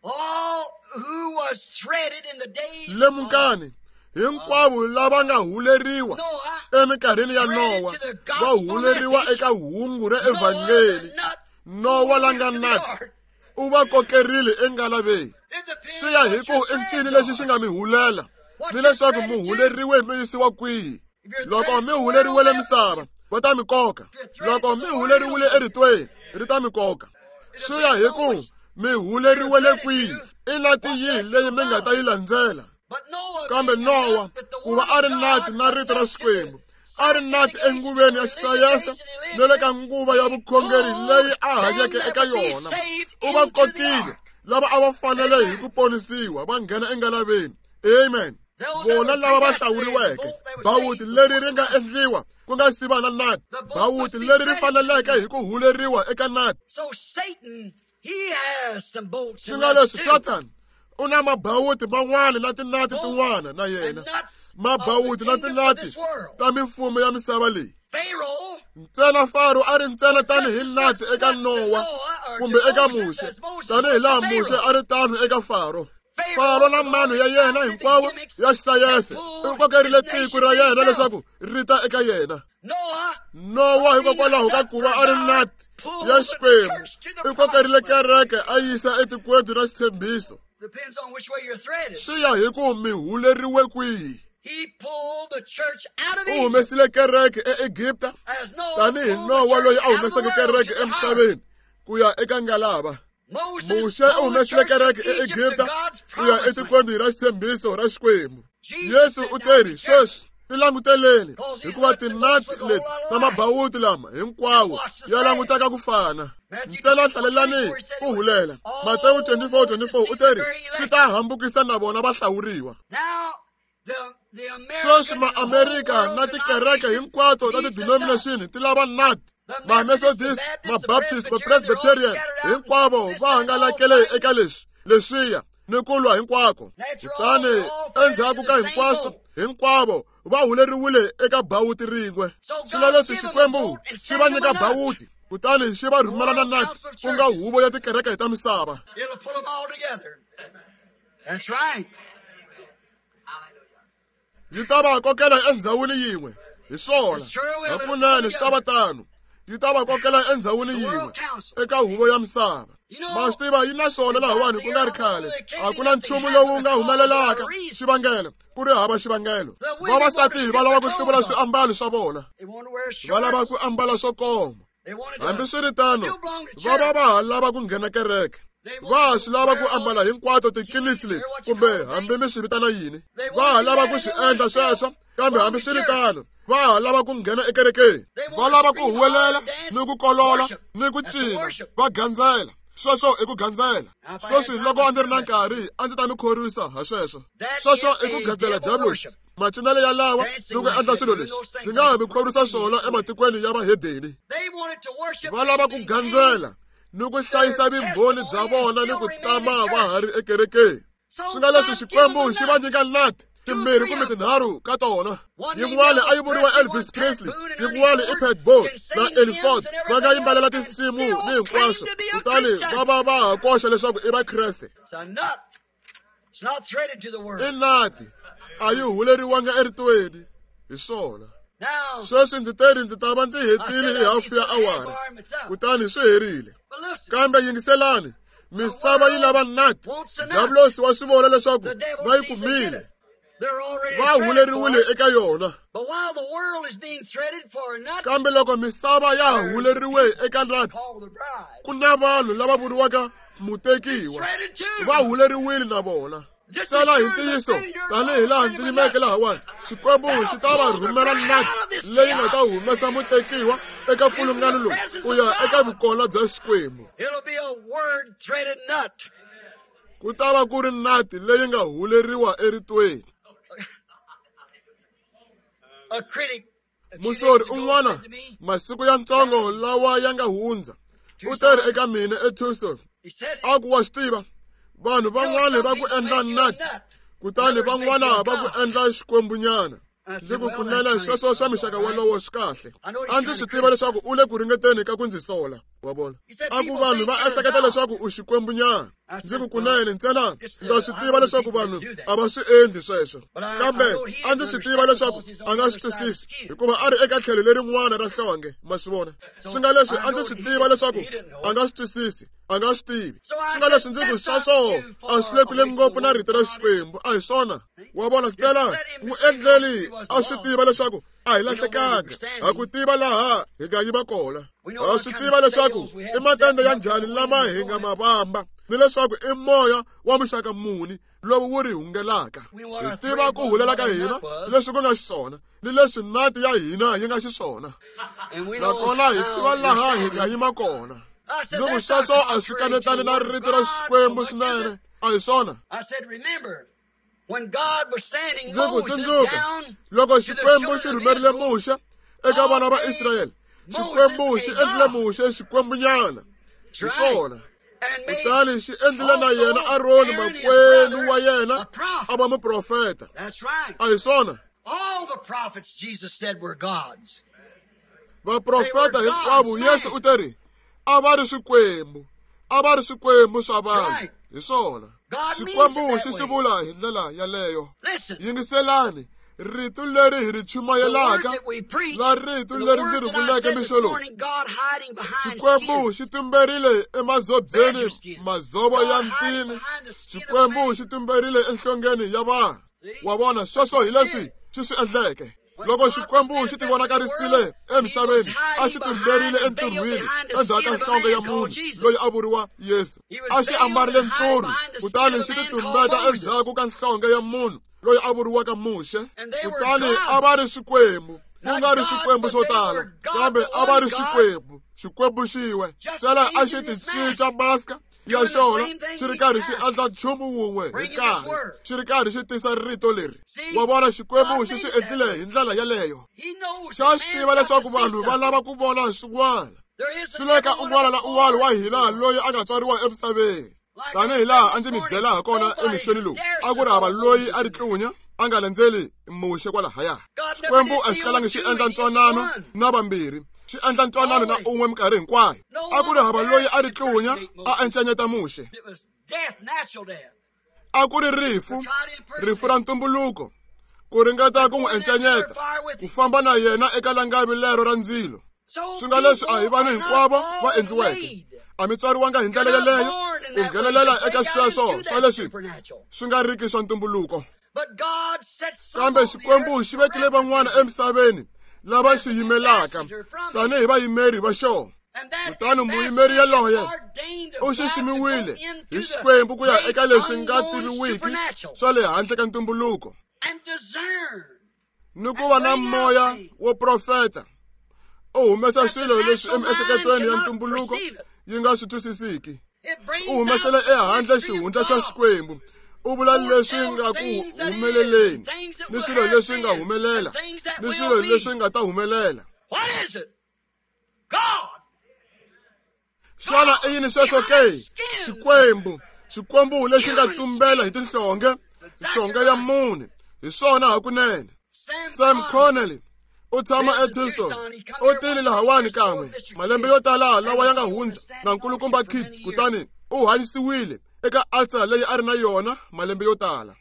B: All who was threaded in the days of
A: Lemukani, hinkwavo lava nga huleriwa
B: Noah,
A: eminkarhini ya Nowa va huleriwa eka hungu ra
B: Noah
A: evhangeli.
B: the nut
A: Nowa la nga
B: into the
A: nati
B: ark.
A: u va kokerile engalaveni.
B: It depends
A: Swi ya hi
B: what
A: ku
B: your
A: i ncini
B: threads
A: lexi
B: are.
A: xi nga mi hulela ni leswaku mi huleriwe mi yisiwa kwihi. Loko mi huleriwele misava, va ta mi koka. Loko mi huleriwile eritweni, ri ta mi koka. Swi ya hi ku mi huleriwele kwihi, i nati yihi leyi mi nga ta yi landzela.
B: But Noah
A: Kambe
B: being a
A: Nowa
B: nut with the
A: ku va
B: word
A: a ri
B: of
A: nati
B: God,
A: na rito ra
B: enough to
A: Xikwembu,
B: the
A: a ri nati enguveni ya xisayense ni le ka nguva ya vukhongeri leyi a hanyeke eka yona. U va kokile lava a va fanele hi ku ponisiwa va nghena engalaveni. Amen. Vona lava va hlawuriweke, bawuti leri ri nga endliwa ku nga si va na nati, bawuti leri ri faneleke hi ku huleriwa eka nati.
B: So Satan, he has some bolts
A: Swi
B: and
A: nga
B: nuts
A: leswi
B: too.
A: Satan u na mabawuti man'wana na tinati tin'wana na yena,
B: And nuts of
A: mabawuti
B: the
A: na
B: kingdoms of
A: tinati
B: this world.
A: ta mimfumo ya misava leyi.
B: Pharaoh
A: Ntsena Faro a ri ntsena tanihi nati eka Nowa kumbe eka Muxe, tanihi laha Muxe a ri tano eka Faro. Faro na mano ya yena hinkwawo ya xisayense u kokerile tiko ra yena leswaku ri ta eka yena.
B: Noah
A: Nowa hikokwalaho ka ku va a ri nati ya Xikwembu u kokerile kereke a yisa etikweni ra xitshembiso.
B: depends on which way you're threaded.
A: Swi ya hi ku mi huleriwe kwihi.
B: He pulled the church out of
A: U
B: Egypt
A: humesile kereke eEgipta
B: as Noah
A: tanihi
B: pulled the
A: Nowa
B: church
A: loyi a
B: out of the
A: humeseke
B: world
A: kereke
B: to the ark.
A: emisaveni ku ya eka ngalava.
B: Moses
A: Muxe u
B: pulled the
A: humesile
B: church of
A: kereke
B: Egypt to
A: eEgipta
B: God's
A: ku ya
B: promised land.
A: etikweni ra xitshembiso ra Xikwembu.
B: Jesus
A: Yesu
B: said,
A: u
B: "Now
A: teri
B: be careful."
A: sweswi tilanguteleni
B: Because these
A: hikuva
B: nuts and
A: tinati
B: bolts look a
A: leti
B: whole lot
A: na
B: alike.
A: mabawuti lama hinkwawo
B: Watch the
A: ya
B: thread.
A: languteka ku fana.
B: Matthew
A: Ntsena
B: twenty-four,
A: hlalelani
B: twenty-four, he said,
A: ku hulela.
B: "All
A: Matewu twenty-four twenty-four u teri
B: the
A: swi ta hambukisa na vona va hlawuriwa.
B: Now, the, the
A: Sweswi
B: American and the whole
A: Maamerika
B: world
A: na tikereke hinkwato ta
B: denominations needs a nut.
A: ti-denomination ti lava nati.
B: The
A: Ma-Methodist,
B: Methodists, the
A: Ma-Baptist,
B: Baptists, the
A: Ma-Presbyterian
B: Presbyterian,
A: hinkwavo va hangalakele eka leswi leswiya ni ku lwa hinkwako. Kutani endzhaku ka hinkwaswo hinkwavo va huleriwile eka bawuti rin'we. Swilo leswi Xikwembu xi va nyika bawuti kutani xi va rhumela na nati ku nga huvo ya tikereke ta misava.
B: It'll pull them all together. That's right.
A: Yi ta va kokela endhawini yin'we. Hi swona. Hakunene swi ta va tano. Yi ta va kokela endhawini yin'we eka huvo ya misava. Ma swi tiva yi na swona lahawani ku nga ri khale. A ku na nchumu lowu nga humelelaka xivangelo ku ri hava xivangelo. Vavasati va lava ku hluvula swiambalo swa vona.
B: They want to wear
A: Va lava
B: shorts.
A: ku ambala swo koma. Hambiswiritano, va va va ha lava ku nghena kereke. Va ha swi lava ku ambala hinkwato tikilisi leti, kumbe hambi mi swi vitana yini. Va ha lava ku swi endla sweswo, kambe hambiswiritano va ha lava ku nghena ekerekeni. Va lava ku huwelela ni ku kolola ni ku cina, va gandzela. Sweswo i ku gandzela. Sweswi loko a ndzi ri na nkarhi a ndzi ta mi khorwisa ha sweswo. Sweswo i ku gandzela diabulosi. Macinelo ya lawa ni ku endla swilo leswi ndzi nga ha mi khorwisa swona ematikweni ya vahedeni. Va lava ku gandzela ni ku hlayisa vumbhoni bya vona ni ku tama va ha ri ekerekeni. Swi nga leswi Xikwembu xi va nyika nati timbirhi kumbe tinharhu ka tona. Yin'wana a yi vuriwa Elvis Presley, yin'wana i Pat Boone na Ernie Ford. Va nga yimbelela tinsimu ni hinkwaswo, kutani va va va ha koxa leswaku i Vakreste. I nati, a yi huleriwanga eritweni hi swona. Sweswi ndzi teri ndzi ta va ndzi hetile hi hafu ya awara, kutani swi herile. Kambe yingiselani, misava yi lava nati. Diabulosi wa swi vona leswaku va yi kumile, va huleriwile eka yona. Kambe loko misava ya ha huleriwe eka nati, ku na vanhu lava vuriwaka mutekiwa, va huleriwile na vona. Tsala hi ntiyiso tanihi laha ndzi yimeke lahawani, Xikwembu xi ta va rhumela nati leyi nga ta humesa mutekiwa eka pfulungano lowu ku ya eka vukona bya Xikwembu. Ku ta va ku ri nati leyi nga huleriwa eritweni. Musori un'wana masiku ya ntsongo lawa ya nga hundza u teri eka mina eTucson, a ku wa swi tiva, vanhu van'wana va ku endla nati, kutani van'wana va ku endla xikwembunyana. Ndzi ku kunene sweswo swa mixaka wolowo swi kahle. A ndzi swi tiva leswaku u le ku ringeteni ka ku ndzi sola, wa vona. A ku vanhu va ehleketa leswaku u xikwembunyana. Ndzi ku kunene ntsena ndza swi tiva leswaku vanhu a va swi endli sweswo, kambe a ndzi swi tiva leswaku a nga swi twisisi hikuva a ri eka tlhelo lerin'wana ra nhlonge, ma swi vona. Swi nga leswi a ndzi swi tiva leswaku a nga swi twisisi, a nga swi tivi. Swi nga leswi ndzi ku sweswo a swi le kule ngopfu na rito ra Xikwembu, a hi swona, wa vona. Ntsena n'wi endleli a swi tiva leswaku a hi lahlekanga, ha ku tiva laha hi nga yiva kona. Ha swi tiva leswaku i matende ya njhani lama hi nga ma vamba, ni leswaku i moya wa muxaka muni lowu wu ri hungelaka. Hi tiva ku hulela ka hina leswi ku nga xiswona, ni leswi nati ya hina yi nga xiswona, nakona hi tiva laha hi nga yima kona. Ndzi ku sweswo a swi kanetani na rito ra Xikwembu swinene, a hi swona. Ndzi ku tsundzuka loko Xikwembu xi rhumerile Muxe eka vana va Israyele, Xikwembu xi endlile Muxe xikwembunyana, hi swona. Kutani xi endlile na yena Aroni makwenu wa yena a va muprofeta, a hi swona. Vaprofeta hinkwavo Yesu u teri a va ri swikwembu, a va ri swikwembu swa vanhu, hi swona. Xikwembu xi swi vula hi ndlela yaleyo. Yingiselani rito leri hi ri chumayelaka na rito leri ndzi ri vuleke mixo lowu. Xikwembu xi tumberile emazobyeni mazovo ya ntini. Xikwembu xi tumberile enhlongeni ya vanhu, wa vona. Sweswo hi leswi xi swi endleke. Loko Xikwembu xi tivonakarisile emisaveni, a xi tumberile entirhweni endzhaku ka nhlonge ya munhu loyi a vuriwa Yesu. A xi ambarile nturhu, kutani xi titumbeta endzhaku ka nhlonge ya munhu loyi a vuriwaka Muxe. Kutani a va ri swikwembu, ku nga ri swikwembu swo tala, kambe a va ri Xikwembu, Xikwembu xin'we. Ntsena a xi ti cinca maska ya xona, xi ri karhi xi endla nchumu wun'we hi nkarhi, xi ri karhi xi tisa rito leri, wa vona. Xikwembu xi swi endlile hi ndlela yaleyo. Xa swi tiva leswaku vanhu va lava ku vona swin'wana. Swi le ka un'wana na un'wana wa hina loyi a nga tswariwa emisaveni. Tanihi laha a ndzi mi byela ha kona emixweni lowu, a ku ri hava loyi a ri tlunya a nga landzeli Muxe kwalahaya. Xikwembu a xi kalangi xi endla ntwanano na vambirhi, xi endla ntwanano na un'we minkarhi hinkwayo. A ku ri hava loyi a ri tlunya a encanyeta Muxe. A ku ri rifu, rifu ra ntumbuluko, ku ringeta ku n'wi encanyeta, ku famba na yena eka langavi lero ra ndzilo. Swi nga leswi a hi vanhu hinkwavo va endliweke, a mi tswariwanga hi ndlela yeleyo ku nghenelela eka sweswo swa leswi swi nga riki swa ntumbuluko. Kambe Xikwembu xi vekile van'wana emisaveni lava xi yimelaka tanihi vayimeri va xona. Kutani muyimeri yaloye u xiximiwile hi Xikwembu ku ya eka leswi nga tiviwiki swa le handle ka ntumbuluko, ni ku va na moya wo profeta, u humesa swilo leswi emiehleketweni ya ntumbuluko yi nga swi twisisiki. U humesela ehandle xihundla xa Xikwembu, u vula leswi nga ku humeleleni ni swilo leswi nga humelela ni swilo leswi nga ta humelela. Xana i yini sweswo ke? Xikwembu, Xikwembu lexi nga tumbela hi tinhlonge, nhlonge ya mune. Hi swona hakunene. Sam Connelly u tshama eTucson, u tile lahawani kan'we malembe yo tala lawa ya nga hundza na nkulukumba Kit, kutani u hanyisiwile eka altar leyi a ri na yona malembe yo tala.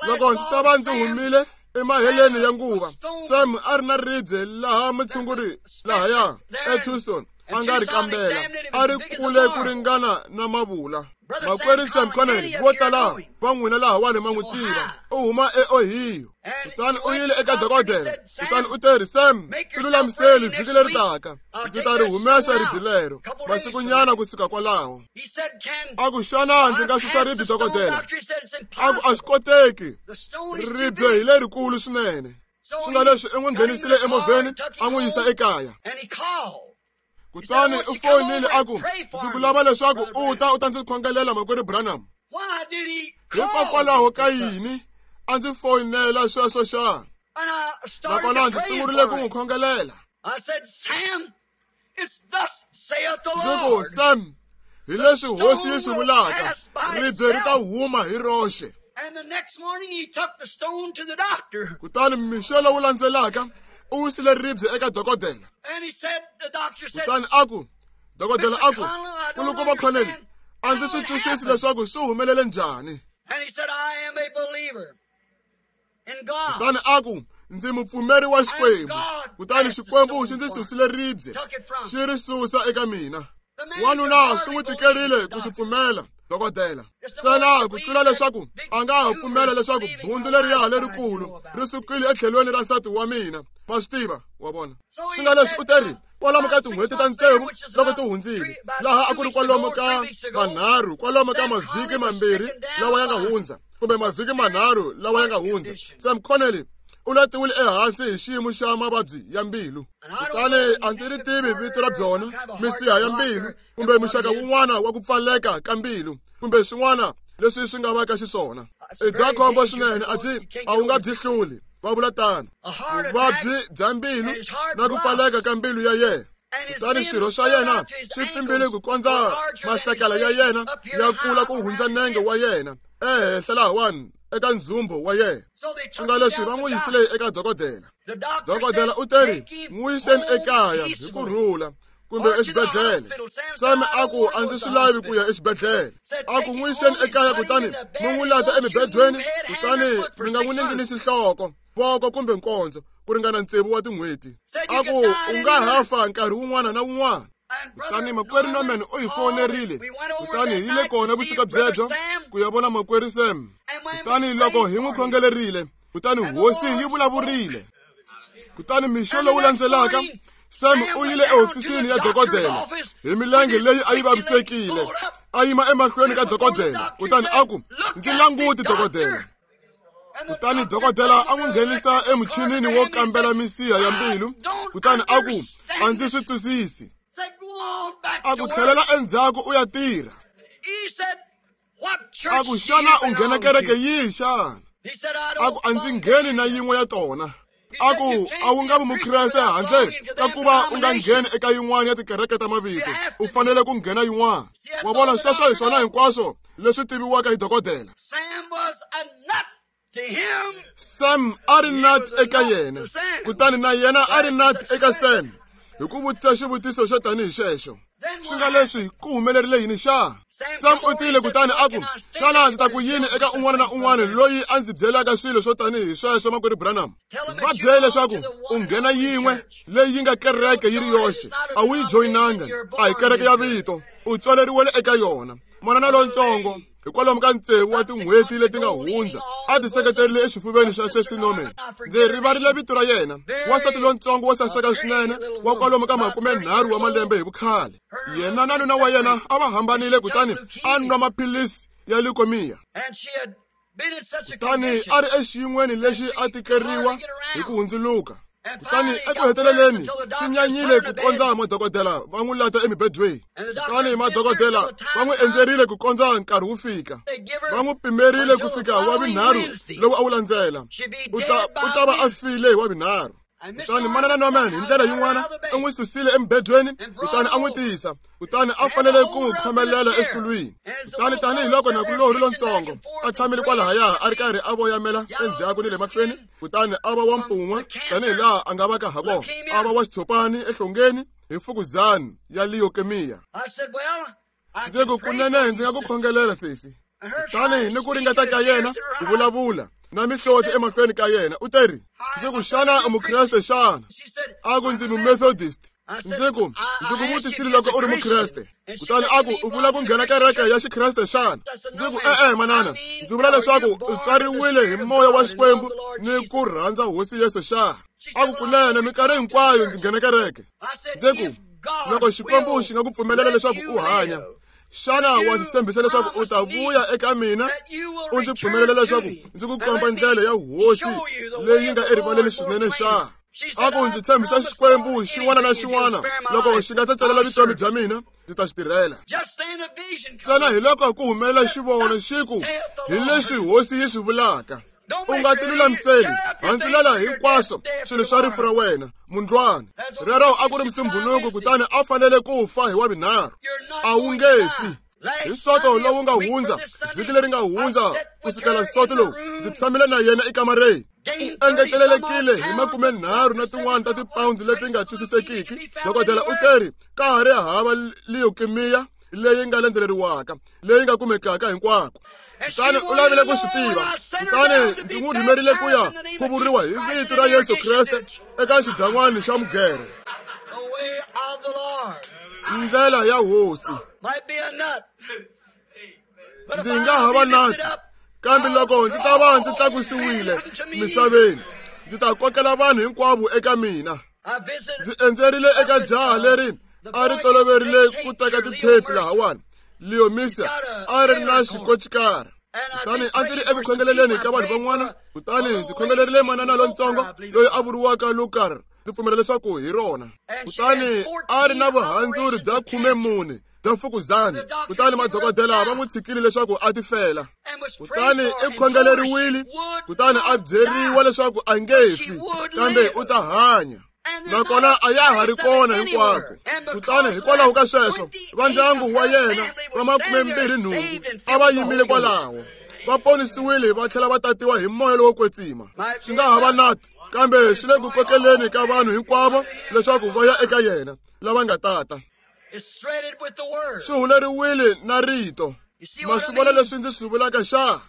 A: Loko ndzi ta va ndzi humile emaheleni ya nguva, Sam a ri na ribye laha mutshunguri lahaya eTucson a nga ri kambela, a ri kule ku ringana na mavula. Makwerhu Sam Connelly vo tala va n'wina lahawani ma n'wi tiva, u huma eOhio. Kutani u yile eka dokodela, kutani u teri, Sam, tilulamiseli vhiki leri taka, ndzi ta ri humesa ribye lero masikunyana kusuka kwalaho. A ku, xana ndzi nga susa ribye, dokodela? A ku, a swi koteki, ribye hi lerikulu swinene. Swi nga leswi i n'wi nghenisile emovheni a n'wi yisa ekaya. Kutani u fonile a ku, ndzi ku lava leswaku u ta u ta ndzi khongelela, makwerhu Branham. Hikokwalaho ka yini a ndzi foyinela sweswo xana? Nakona ndzi sungurile ku n'wi khongelela. Ndzi ku, Sam, hi leswi hosi yi swi vulaka, ribye ri ta huma hi roxe. Kutani mixo lowu landzelaka u wisile ribye eka dokodela. Kutani a ku, dokodela a ku, nkulukumba Connelly, a ndzi swi twisisi leswaku swi humelele njhani. Kutani a ku, ndzi mupfumeri wa Xikwembu, kutani Xikwembu xi ndzi susile ribye, xi ri susa eka mina. Wanuna swi n'wi tikerile ku swi pfumela, dokodela, ntsena ku tlula leswaku a nga ha pfumela leswaku bundzu leriya lerikulu ri sukile etlhelweni ra nsati wa mina. Ma swi tiva, wa vona. Swi nga leswi u teri kwalomu ka tin'hweti ta tsevu loko ti hundzile, laha a ku ri kwalomu ka manharhu, kwalomu ka mavhiki mambirhi lawa ya nga hundza, kumbe mavhiki manharhu lawa ya nga hundza, Sam Connelly u latiwile ehansi hi xiyimo xa mavabyi ya mbilu. Kutani a ndzi ri tivi vito ra byona, misiha ya mbilu kumbe muxaka wun'wana wa ku pfaleka ka mbilu kumbe swin'wana leswi swi nga vaka xiswona. I bya khombo swinene, a byi a wu nga byi hluli, va vula tano. Vuvabyi bya mbilu na ku pfaleka ka mbilu ya yena. Kutani swirho swa yena swi pfimbile ku kondza mahlakala ya yena ya kula ku hundza nenge wa yena ehenhla lahawani eka ndzhumbo wa yena. Swi nga leswi va n'wi yisile eka dokodela. Dokodela u teri, n'wi yiseni ekaya hi ku rhula kumbe exibedhlele. Sam a ku, a ndzi swi lavi ku ya exibedhlele. A ku, n'wi yiseni ekaya kutani mi n'wi lata emibedweni, kutani mi nga n'wi ninginisi nhloko, voko kumbe nkondzo ku ringana tsevu wa tin'hweti. A ku, u nga ha fa nkarhi wun'wana na wun'wana. Kutani makwerhu Norman u hi fonerile, kutani hi yile kona vusiku byebyo ku ya vona makwerhu Sam. Kutani loko hi n'wi khongelerile, kutani hosi yi vulavurile. Kutani mixo lowu landzelaka, Sam u yile ehofisini ya dokodela hi milenge leyi a yi vavisekile. A yima emahlweni ka dokodela, kutani a ku, ndzi languti dokodela. Kutani dokodela a n'wi nghenisa emuchinini wo kambela misiha ya mbilu, kutani a ku, a ndzi swi twisisi. A ku, tlhelela endzhaku u ya tirha. A ku, xana u nghena kereke yihi xana? A ku, a ndzi ngheni na yin'we ya tona. A ku, a wu nga vi mukreste handle ka ku va u nga ngheni eka yin'wana ya tikereke ta mavito, u fanele ku nghena yin'wana. Wa vona, sweswo hi swona hinkwaswo leswi tiviwaka hi dokodela. Sam a ri nut eka yena, kutani na yena a ri nut eka Sam, hi ku vutisa xivutiso xo tanihi xexo. Swi nga leswi ku humelerile yini xa? Sam u tile kutani a ku, xana ndzi ta ku yini eka un'wana na un'wana loyi a ndzi byelaka swilo swo tanihi sweswo, makwerhu Branham? Va byele leswaku u nghena yin'we leyi yi nga kereke yi ri yoxe, a wu yi joyinanga, a hi kereke ya vito, u tswaleriwele eka yona. Manana lontsongo Hikwalomu ka tsevu wa tin'hweti leti nga hundza a ti seketerile exifuveni xa Sesi Norman. Ndzi rivarile vito ra yena, wansati lontsongo wo saseka swinene wa kwalomu ka makumenharhu wa malembe hi vukhale. Yena na nuna wa yena a va hambanile kutani a nwa maphilisi ya leukemia. Kutani a ri exiyin'weni lexi a tikeriwa hi ku hundzuluka. Kutani eku heteleleni swi nyanyile ku kondza madokodela va n'wi lata emibedweni. Kutani madokodela va n'wi endzerile ku kondza nkarhi wu fika. Va n'wi pimerile ku fika wa vunharhu lowu a wu landzela. U ta u ta va a file hi wa vunharhu. Kutani manana Norman hi ndlela yin'wana u n'wi susile emubedweni kutani a n'wi tisa. Kutani a fanele ku n'wi khomelela exitulwini. Kutani tanihiloko nakulorhi lontsongo a tshamile kwalahaya a ri karhi a voyamela endzhaku ni le mahlweni, kutani a va wa mpun'wa tanihilaha a nga va ka ha kona, a va wa xitshopani ehlongeni hi mfukuzani ya leukemia. Ndzi ku kunene ndzi nga ku khongelela sesi. Kutani ni ku ringeta ka yena ku vulavula na mihloti emahlweni ka yena, u teri, ndzi ku xana u mukreste xana? A ku ndzi mumethodist. Ndzi ku ndzi ku vutisile loko u ri mukreste. Kutani a ku u vula ku nghena kereke ya xikreste xana? Ndzi ku e-e manana, ndzi vula leswaku u tswariwile hi moya wa Xikwembu ni ku rhandza Hosi Yesu xana? A ku kunene minkarhi hinkwayo ndzi nghena kereke. Ndzi ku loko Xikwembu xi nga ku pfumelela leswaku u hanya, xana wa ndzi tshembisa leswaku u ta vuya eka mina u ndzi pfumelela leswaku ndzi ku komba ndlela ya Hosi leyi nga erivaleni swinene xana? A ku ndzi tshembisa Xikwembu xin'wana na xin'wana loko xi nga tsetselela vutomi bya mina ndzi ta xi tirhela. Ntsena hi loko ku humelela xivono xi ku hi leswi Hosi yi swi vulaka. U nga ti lulamiseli, handzulela hinkwaswo swilo swa rifu ra wena mundlwana. Rero a ku ri musumbhunuku kutani a fanele ku fa hi wa vunharhu. A wu nge fi. Hi soto lowu nga hundza, vhiki leri nga hundza ku sukela soto lowu, ndzi tshamile na yena ekamareni. U engetelelekile hi makumenharhu na tin'wana ta tipounds leti nga twisisekiki. Dokodela u teri ka ha ri hava leukemia leyi nga landzeleriwaka, leyi nga kumekaka hinkwako. Kutani u lavile ku swi tiva. Kutani ndzi n'wi rhumerile ku ya khuvuriwa hi vito ra Yesu Kreste eka xidan'wana xa mugere. Ndlela ya Hosi. Ndzi nga ha va nati, kambe loko ndzi ta va ndzi tlakusiwile misaveni, ndzi ta kokela vanhu hinkwavo eka mina. Ndzi endzerile eka jaha leri a ri toloverile ku teka tithepi lahawani. Leomisa a ri na xikocikara. Kutani a ndzi ri eku khongeleleni ka vanhu van'wana, kutani ndzi khongelerile manana lontsongo loyi a vuriwaka Lukar, ndzi pfumela leswaku hi rona. Kutani a ri na vuhandzuri bya khumemune bya mfukuzani, kutani madokodela va n'wi tshikile leswaku a tifela. Kutani i khongeleriwile, kutani a byeriwa leswaku a nge fi, kambe u ta hanya. Nakona a ya ha ri kona hinkwako. Kutani hikwalaho ka sweswo va ndyangu wa yena va makumembirhi nhungu a va yimile kwalaho, va ponisiwile va tlhela va tatiwa hi moya lowo kwetsima. Swi nga ha va nati, kambe swi le ku kokeleni ka vanhu hinkwavo leswaku va ya eka yena lava nga tata. Swi huleriwile na rito. Ma swi vona leswi ndzi swi vulaka xa?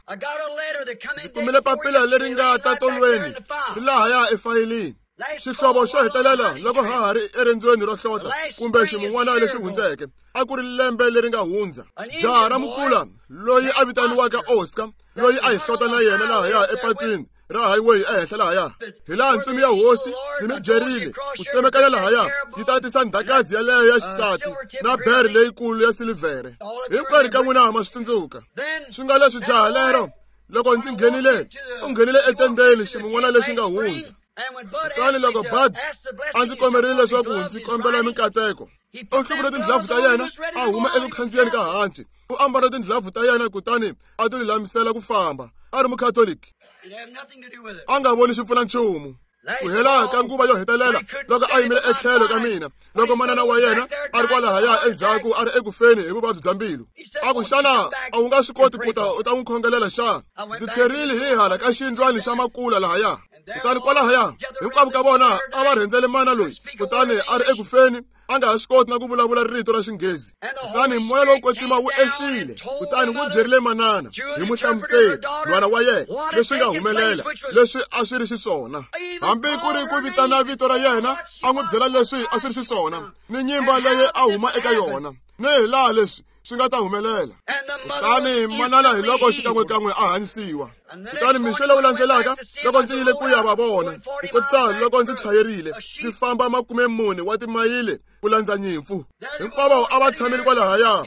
A: Ndzi kumile papila leri nga ta tolweni ri lahaya efayilini. Xihlovo xo hetelela loko ha ha ri eriendzweni ro hlota kumbe ximun'wana lexi hundzeke, a ku ri lembe leri nga hundza. Jaha ra mukula loyi a vitaniwaka Oscar, loyi a hi hlota na yena lahaya epatwini ra highway ehenhla lahaya, hi laha ntsumi ya Hosi ndzi mi byerile ku tsemekanya lahaya yi ta tisa ndhakazi yaleyo ya xisati na bere leyikulu ya silivhere. Hinkwerhu ka n'wina ma swi tsundzuka. Swi nga leswi jaha lero loko ndzi nghenile, u nghenile etendeni ximun'wana lexi nga hundza. Kutani loko Bud a ndzi komberile leswaku ndzi kombela minkateko, u hluvule tindlopfu ta yena a huma eku khandziyeni ka hanci. U ambala tindlopfu ta yena kutani a ti lulamisela ku famba. A ri mukhatoliki, a nga voni xi pfuna nchumu. Ku hela ka nguva yo hetelela loko a yimile etlhelo ka mina, loko manana wa yena a ri kwalahaya endzhaku a ri eku feni hi vuvabyi bya mbilu, a ku xana a wu nga swi koti ku ta u ta n'wi khongelela xana? Ndzi tlherile hi hala ka xiyindlwani xa makula lahaya. Kutani kwalahaya hinkwavo ka vona a va rhendzele mana loyi, kutani a ri eku feni, a nga ha swi koti na ku vulavula rito ra Xinghezi. Kutani moya lowo kwetsima wu ehlile, kutani wu byerile manana hi muhlamuseri nhwana wa yena leswi nga humelela, leswi a swi ri xiswona. Hambi ku ri ku vitana vito ra yena, a n'wi byela leswi a swi ri xiswona ni nyimba leyi a huma eka yona, ni hi laha leswi swi nga ta humelela. Kutani manana hi loko xikan'wekan'we a hanyisiwa. Kutani mixo lowu landzelaka loko ndzi yile ku ya va vona, ku kotisa loko ndzi chayerile ndzi famba makume mune wa timayile ku landza nyimpfu. Hinkwavo a va tshamile kwalahaya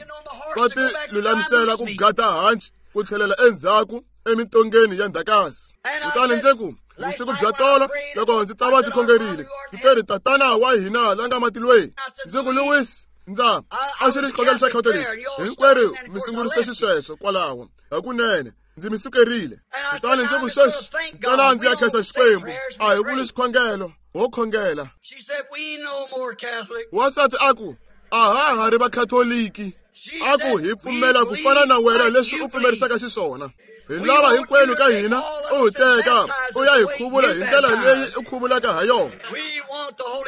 A: va ti lulamisela ku gada hanci ku tlhelela endzhaku emitongeni ya ndhakasi. Kutani ndzi ku vusiku bya tolo loko ndzi ta va ndzi khongerile ndzi teri tatana wa hina la nga matilweni. Ndzi ku Louis, ndza a xi ri xikhongelo xa Catholic hinkwerhu mi sungurise xisweswo kwalaho hakunene ndzi mi sukerile. Kutani ndzi ku sweswi ntsena ndzi ya khensa Xikwembu a hi vuli xikhongelo ho khongela. Wansati a ku a ha ha ri vakhatoliki, a ku hi pfumela ku fana na wena leswi u pfumerisaka xiswona. Hi lava hinkwenu ka hina u hi teka u ya hi khuvula hi ndlela leyi u khuvulaka ha yona.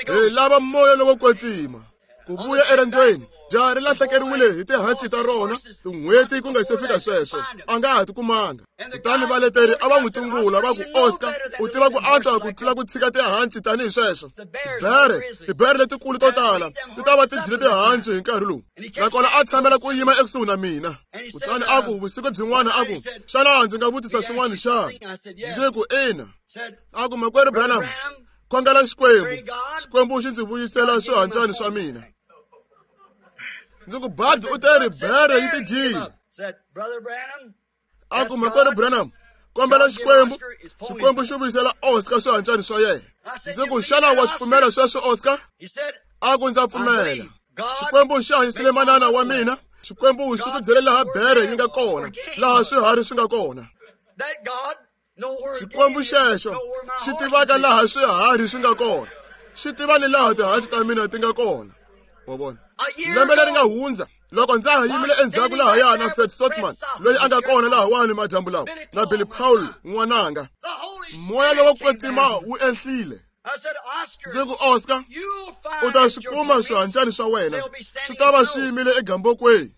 A: Hi lava moya lowo kwetsima. Ku vuya erendzweni jaha ri lahlekeriwile hi tihanci ta rona tin'hweti ku nga se fika sweswo a nga ha ti kumanga. Kutani valeteri a va n'wi tungula va ku Oscar u tiva ku antswa ku tlula ku tshika tihanci tanihi sweswo. Tibere tibere letikulu to tala ti ta va ti dyile tihanci hi nkarhi lowu. Nakona a tshamela ku yima ekusuhi na mina. Kutani a ku vusiku byin'wana a ku xana ndzi nga vutisa swin'wana xana? Ndzi ku ina. A ku makwerhu Branham, khongela Xikwembu, Xikwembu xi ndzi vuyisela swihancani swa mina. Ndzi ku Bud u teri bere yi ti dyile. A ku makwerhu Branham, kombela Xikwembu, Xikwembu xi vuyisela Oscar swihancani swa yena. Ndzi ku xana wa swi pfumela sweswo Oscar? A ku ndza pfumela. Xikwembu xi hanyisile manana wa mina. Xikwembu xi ku byele laha bere yi nga kona, laha swiharhi swi nga kona. Xikwembu xexo xi tivaka laha swiharhi swi nga kona, xi tiva ni laha tihanci ta mina ti nga kona. Wa vona? Lembe leri nga hundza loko ndza ha yimile endzhaku lahaya na Fred Sotman loyi a nga kona lahawani madyambu lawa na Billy Paul n'wananga, moya lowo kwetsima wu enhlile. Ndzi ku Oscar, u ta swi kuma swihancani swa wena swi ta va swi yimile egambokweni.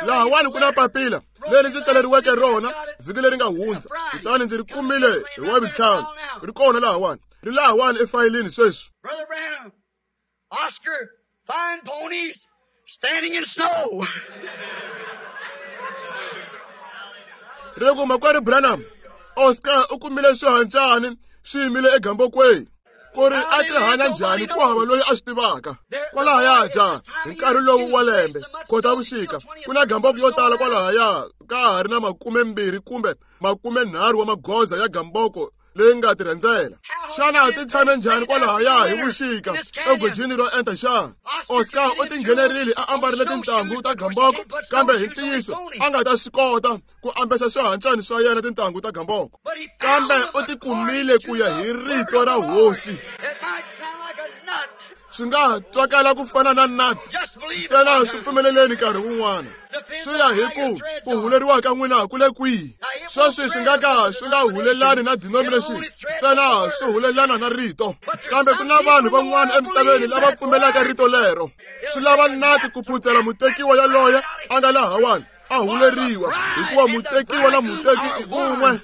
A: Lahawani ku na papila leri ndzi tsaleriweke rona vhiki leri nga hundza, kutani ndzi ri kumile hi wavutlhanu. Ri kona lahawani, ri lahawani efayilini sweswi.
B: Oscar, fine ponies standing in snow.
A: Ri ku makwerhu Branham, Oscar u kumile swihancani swi yimile egambokweni. Ku ri a ti hanya njhani ku hava loyi a swi tivaka. Kwalahaya ja hi nkarhi lowu wa lembe Khotavuxika ku na gamboko yo tala kwalahaya ka ha ri na makumembirhi kumbe makumenharhu wa magoza ya gamboko leyi nga tirhandzela. Xana ti tshame njhani kwalahaya hi vuxika egojini ro enta xana? Oscar u tinghenerile a ambarile tintangu ta gamboko, kambe hi ntiyiso a nga ta swi kota ku ambexa swihancani swa yena tintangu ta gamboko. Kambe u ti kumile ku ya hi rito ra hosi. Swi nga twakala ku fana na nut ntsena swi pfumeleleni nkarhi wun'wana. Swi ya hi ku ku huleriwa ka n'wina ku le kwihi. Sweswi swi nga ka swi nga hulelani na denomination ntsena swi hulelana na rito. Kambe ku na vanhu van'wana emisaveni lava pfumelaka rito lero. Swi lava nati ku phutsela mutekiwa yaloye a nga lahawani a huleriwa, hikuva mutekiwa na muteki i un'we.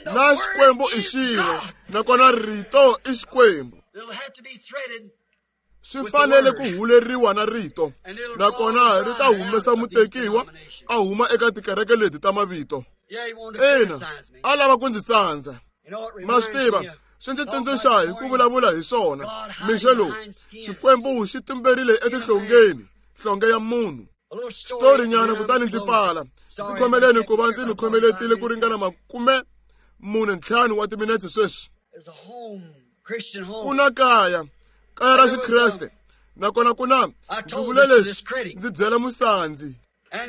A: Na Xikwembu i xin'we, nakona rito i Xikwembu. Swi fanele ku huleriwa na rito, nakona ri ta humesa mutekiwa a huma eka tikereke leti ta mavito. Ina, a lava ku ndzi sandza. Ma swi tiva, swi ndzi tsundzuxa hi ku vulavula hi swona. Mixo lowu Xikwembu xi tumberile etihlongeni, nhlonge ya munhu. Xitorinyana kutani ndzi pfala. Ndzi khomeleni ku va ndzi mi khomeletile ku ringana makume mune ntlhanu wa timinetse sweswi. Ku na kaya, kaya ra Xikreste, nakona ku na ndzi vule leswi ndzi byela musandzi.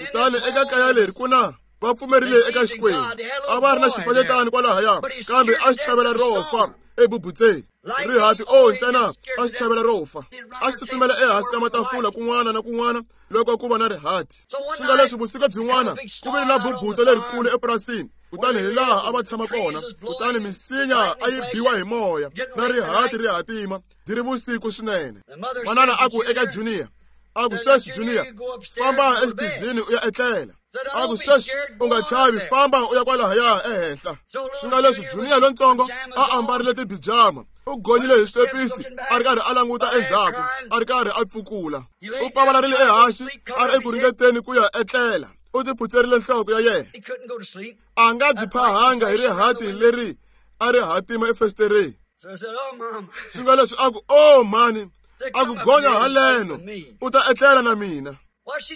A: Kutani eka kaya leri ku na va pfumerile eka Xikwembu. A va ri na xifanyetana kwalahaya, kambe a xi chavela ro fa ebubutseni. Rihati o ntsena a xi chavela ro fa. A xi tsutsumela ehansi ka matafula kun'wana na kun'wana loko ku va na rihati. Swi nga leswi vusiku byin'wana ku vile na bubutsa lerikulu epurasini. Kutani hi laha a va tshama kona, kutani misinya a yi biwa hi moya na rihati ri hatima byi ri vusiku swinene. Manana a ku eka Junior, a ku sweswi Junior, famba exitizini u ya etlela. A ku sweswi u nga chavi, famba u ya kwalahaya ehenhla. Swi nga leswi Junior lontsongo a ambarile tibijama U gonyile hi switepisi a ri karhi a languta endzhaku, a ri karhi a pfukula. U pavalarile ehansi a ri eku ringeteni ku ya etlela. U tiphutserile nhloko ya yena. A nga byi phahanga hi rihati leri a ri hatima efesitereni. Swi nga leswi a ku, "Oh mhani, a ku gonya haleno, u ta etlela na mina."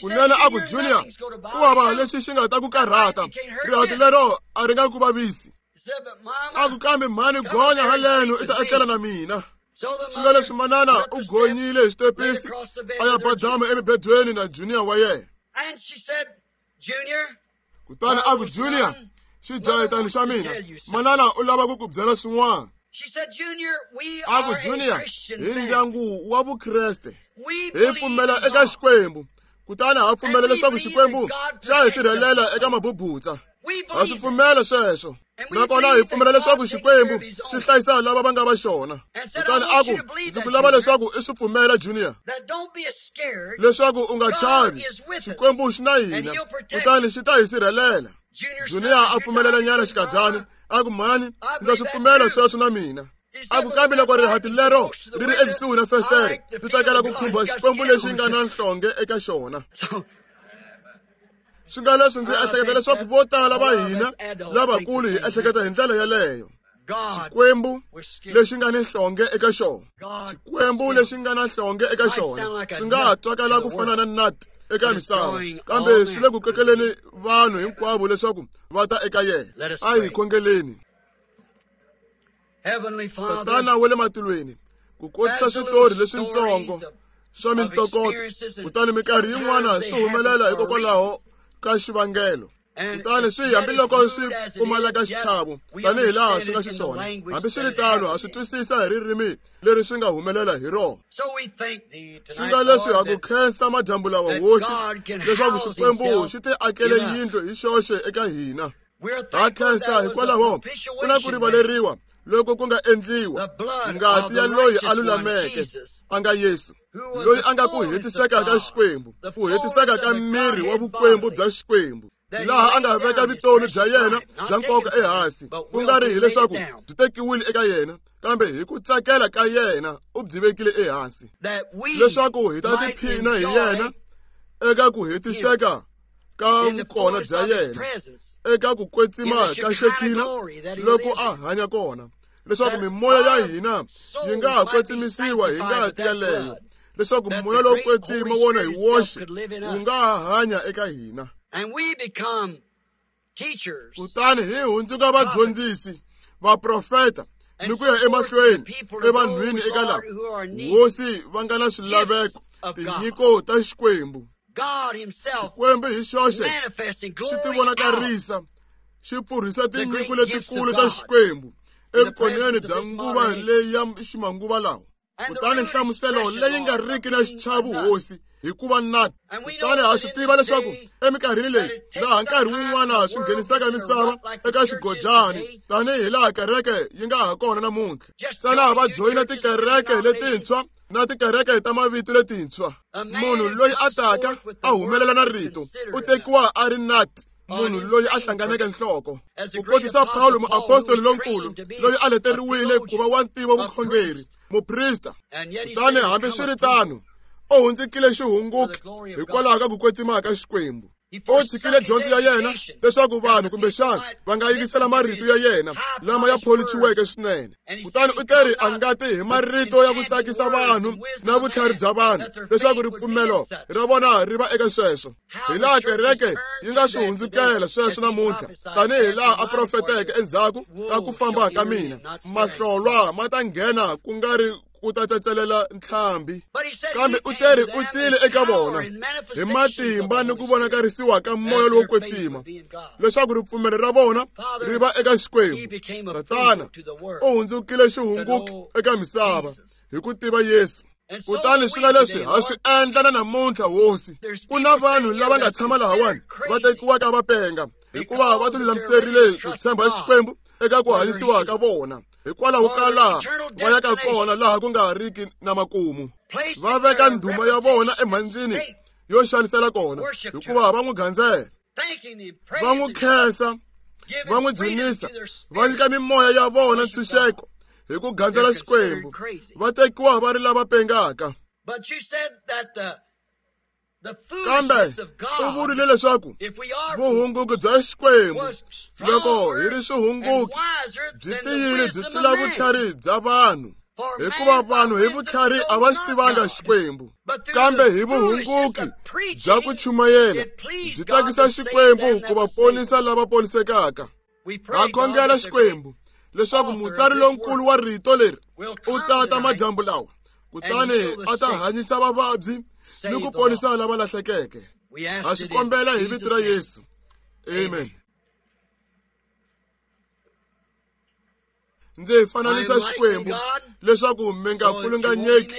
A: Kunene a ku, "Junior, ku hava lexi xi nga ta ku karhata, rihati lero a ri nga ku vavisi." A ku, "Kambe mhani, gonya haleno i ta etlela na mina." Swi nga leswi manana u gonyile hi xitepisi a ya badama emibedweni na Junior wa yena. Kutani a ku, "Junior, xijahetani xa mina, manana u lava ku ku byela swin'wana." A ku, "Junior, hi ndyangu wa Vukreste, hi pfumela eka Xikwembu, kutani ha pfumela leswaku Xikwembu xa hi sirhelela eka mabubutsa. Ha swi pfumela sweswo, nakona hi pfumela leswaku Xikwembu xi hlayisa lava va nga va xona." Kutani a ku, "Ndzi ku lava leswaku i swi pfumela, Junior, leswaku u nga chavi, Xikwembu xi na hina, kutani xi ta hi sirhelela." Junior a pfumelela nyana xikadyana, a ku, "Mhani, ndza swi pfumela sweswo na mina." A ku, "Kambe loko rihati lero ri ri ekusuhi na festere, ndzi tsakela ku khumba Xikwembu lexi nga na nhlonge eka xona." Swi nga leswi ndzi ehleketa leswaku vo tala va hina lavakulu hi ehleketa hi ndlela yeleyo. Xikwembu lexi nga ni nhlonge eka xona, Xikwembu lexi nga na nhlonge eka xona, swi nga ha twakala ku fana na nut eka misava, kambe swi le ku kokeleni vanhu hinkwavo leswaku va ta eka yena. A hi khongeleni. Tatana wa le matilweni, ku kotisa switori leswitsongo swa mintokoto, kutani minkarhi yin'wana swi humelela hikokwalaho ka xivangelo, kutani swi hambiloko swi pfumaleka xichavo tanihi laha swi nga xiswona, hambiswiritano ha swi twisisa hi ririmi leri swi nga humelela hi rona. Swi nga leswi ha ku khensa madyambu lawa, Hosi, leswaku Xikwembu xi ti akele yindlu hi xoxe eka hina. Ha khensa hikwalaho ku na ku rivaleriwa loko ku nga endliwa ngati ya loyi a lulameke, a nga Yesu, loyi a nga ku hetiseka ka Xikwembu, ku hetiseka ka miri wa vukwembu bya Xikwembu, laha a nga veka vutomi bya yena bya nkoka ehansi, ku nga ri hileswaku byi tekiwile eka yena, kambe hi ku tsakela ka yena u byi vekile ehansi, leswaku hi ta tiphina hi yena eka ku hetiseka ka vukona bya yena, eka ku kwetsima ka Xekina loko a hanya kona, leswaku mimoya ya hina yi nga ha kwetsimisiwa hi ngati yaleyo, leswaku moya lowo kwetsima wona hi woxe wu nga ha hanya eka hina. Kutani hi hundzuka vadyondzisi, vaprofeta, ni ku ya emahlweni evanhwini eka lava Hosi va nga na swilaveko, tinyiko ta Xikwembu. Xikwembu hi xoxe xi tivonakarisa, xi pfurhisa tinyiko letikulu ta Xikwembu evukoneni bya nguva leyi ya ximanguva lawa. Kutani nhlamuselo leyi nga riki na xichavo, Hosi, hikuva nut. Kutani ha swi tiva leswaku eminkarhini leyi laha nkarhi wun'wana swi nghenisaka misava eka xigojani, tanihi laha kereke yi nga ha kona namuntlha, ntsena va joyina tikereke letintshwa na tikereke ta mavito letintshwa. Munhu loyi a taka a humelela na rito u tekiwa a ri nut, munhu loyi a hlanganeke nhloko. Ku kotisa Pawulo muapostoli lonkulu, loyi a leteriwile ku va wa ntivo vukhongeri, muprista, kutani hambiswiritano u hundzukile xihunguki hikwalaho ka ku kwetsima ka Xikwembu. U tshikile dyondzo ya yena leswaku vanhu kumbexana va nga yingisela marito ya yena lama ya pholichiweke swinene. Kutani u teri a nga ti hi marito ya ku tsakisa vanhu na vutlhari bya vanhu, leswaku ripfumelo ra vona ri va eka sweswo. Hi laha kereke yi nga swi hundzukela sweswo namuntlha, tanihi laha a profeteke endzhaku ka ku famba ka mina, mahlolwa ma ta nghena ku nga ri ku ta tsetselela ntlhambi. Kambe u teri u tile eka vona hi matimba ni ku vonakarisiwa ka moya lowo kwetsima, leswaku ripfumelo ra vona ri va eka Xikwembu. Tatana u hundzukile xihunguki eka misava hi ku tiva Yesu. Kutani swi nga leswi ha swi endla na namuntlha, Hosi. Ku na vanhu lava nga tshama lahawani va tekiwaka va penga hikuva va tilulamiserile ku tshemba Xikwembu eka ku hanyisiwa ka vona, hikwalaho ka laha va yaka kona laha ku nga riki na makumu. Va veka ndhuma ya vona emhandzini yo xanisela kona, hikuva va n'wi gandzela, va n'wi khensa, va n'wi dzunisa, va nyika mimoya ya vona ntshunxeko hi ku gandzela Xikwembu va tekiwa va ri lava pengaka. Kambe u vurile leswaku vuhunguki bya Xikwembu loko hi ri swihunguki byi tiyile byi tlula vutlhari bya vanhu, hikuva vanhu hi vutlhari a va xi tivanga Xikwembu, kambe hi vuhunguki bya ku chumayela byi tsakisa Xikwembu ku va ponisa lava ponisekaka. Ha khongela Xikwembu leswaku mutsari lonkulu wa rito leri u tata madyambu lawa, kutani a ta hanyisa vavabyi ni ku ponisa lava lahlekeke. Ha swi kombela hi vito ra Yesu, amen. Ndzi fananisa Xikwembu leswaku mi nga pfulunganyeki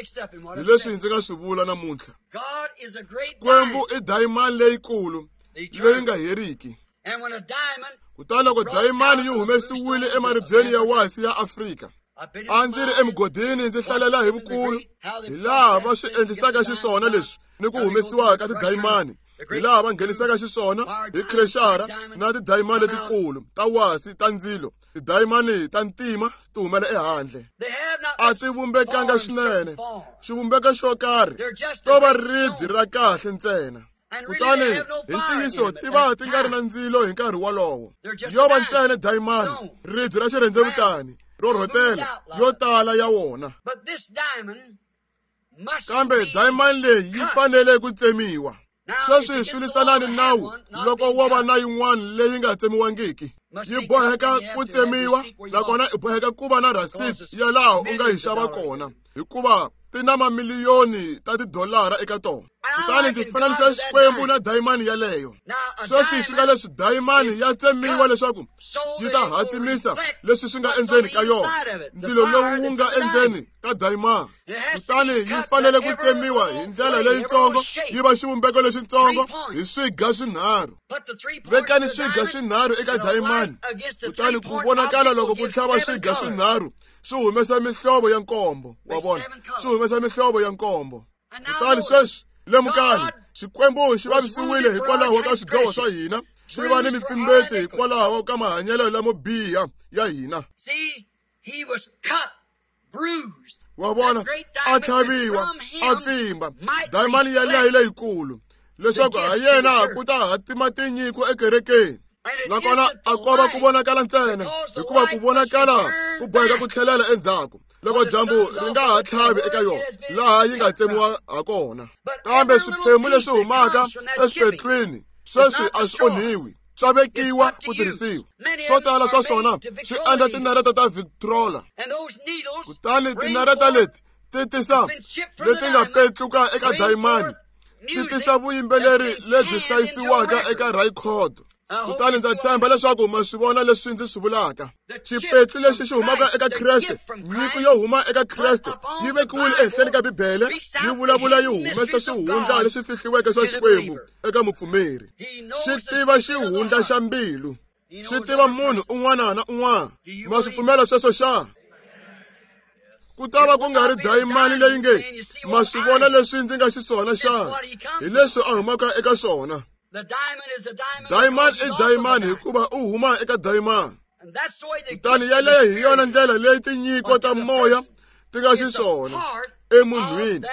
A: hi leswi ndzi nga swi vula namuntlha. Xikwembu i dayimani leyikulu leyi nga heriki. Kutani loko dayimani yi humesiwile emaribyeni ya wasi ya Afrika, a ndzi ri emugodini ndzi hlalela hi vukulu hi laha va swi endlisaka xiswona leswi ni ku humesiwa ka tidayimani, hi laha va nghenisaka xiswona hi krexara na tidayimani letikulu ta wasi ta ndzilo, tidayimani ta ntima ti humela ehandle. A ti vumbekanga swinene, xivumbeko xo karhi to va ribye ra kahle ntsena. Kutani hi ntiyiso ti va ti nga ri na ndzilo hi nkarhi wolowo, yo va ntsena dayimani, ribye ra xirhendzevutani ro rhotela yo tala ya wona. Kambe dayimani leyi yi fanele ku tsemiwa. Sweswi swi lwisana ni nawu loko wo va na yin'wana leyi nga tsemiwangiki, yi boheka ku tsemiwa, nakona i boheka ku va na rhasiti ya laha u nga yi xava kona, hikuva ti na mamiliyoni ta tidolara eka tona. Kutani ndzi fananisa Xikwembu na dayimani yaleyo. Sweswi swi nga leswi dayimani ya tsemiwa leswaku yi ta hatimisa leswi swi nga endzeni ka yona, ndzilo lowu wu nga endzeni ka dayimani. Kutani yi fanele ku tsemiwa hi ndlela leyitsongo, yi va xivumbeko lexitsongo hi swiga swinharhu. Vekani swiga swinharhu eka dayimani, kutani ku vonakala loko ku tlhava swiga swinharhu swi humesa mihlovo ya nkombo. Wa vona, swi humesa mihlovo ya nkombo. Kutani sweswi lemukani, Xikwembu xi vavisiwile hikwalaho ka swidyoho swa hina, xi va ni mipfimbeti hikwalaho ka mahanyelo lamo biha ya hina. Wa vona, a tlhaviwa, a pfimba dayimani yaleyo leyikulu, leswaku ha yena ku ta hatima tinyiko ekerekeni. Nakona a ko va ku vonakala ntsena, hikuva ku vonakala ku boheka ku tlhelela endzhaku loko dyambu ri nga ha tlhavi eka yona laha yi nga tsemiwa ha kona. Kambe swiphemu leswi humaka eswipetlwini sweswi a swi onhiwi, swa vekiwa ku tirhisiwa. Swo tala swa swona swi endla tinareta ta Victrola, kutani tinareta leti ti tisa leti nga petluka eka dayimani, ti tisa vuyimbeleri lebyi hlayisiwaka eka rhayikhodo. Kutani ndza tshemba leswaku ma swi vona leswi ndzi swi vulaka. Xipetlu lexi xi humaka eka Kreste, nyiko yo huma eka Kreste, yi vekiwile ehenhleni ka Bibele, yi vulavula yi humesa xihundla lexi fihliweke swa Xikwembu eka mupfumeri. Xi tiva xihundla xa mbilu, xi tiva munhu un'wana na un'wana. Ma swi pfumela sweswo xa? Ku ta va ku nga ri dayimani leyi nge ma swi vona leswi ndzi nga xiswona xana, hi leswi a humaka eka swona. Dayimani i dayimani hikuva u huma eka dayimani. Kutani yaleyo hi yona ndlela leyi tinyiko ta moya ti nga xiswona emunhwini,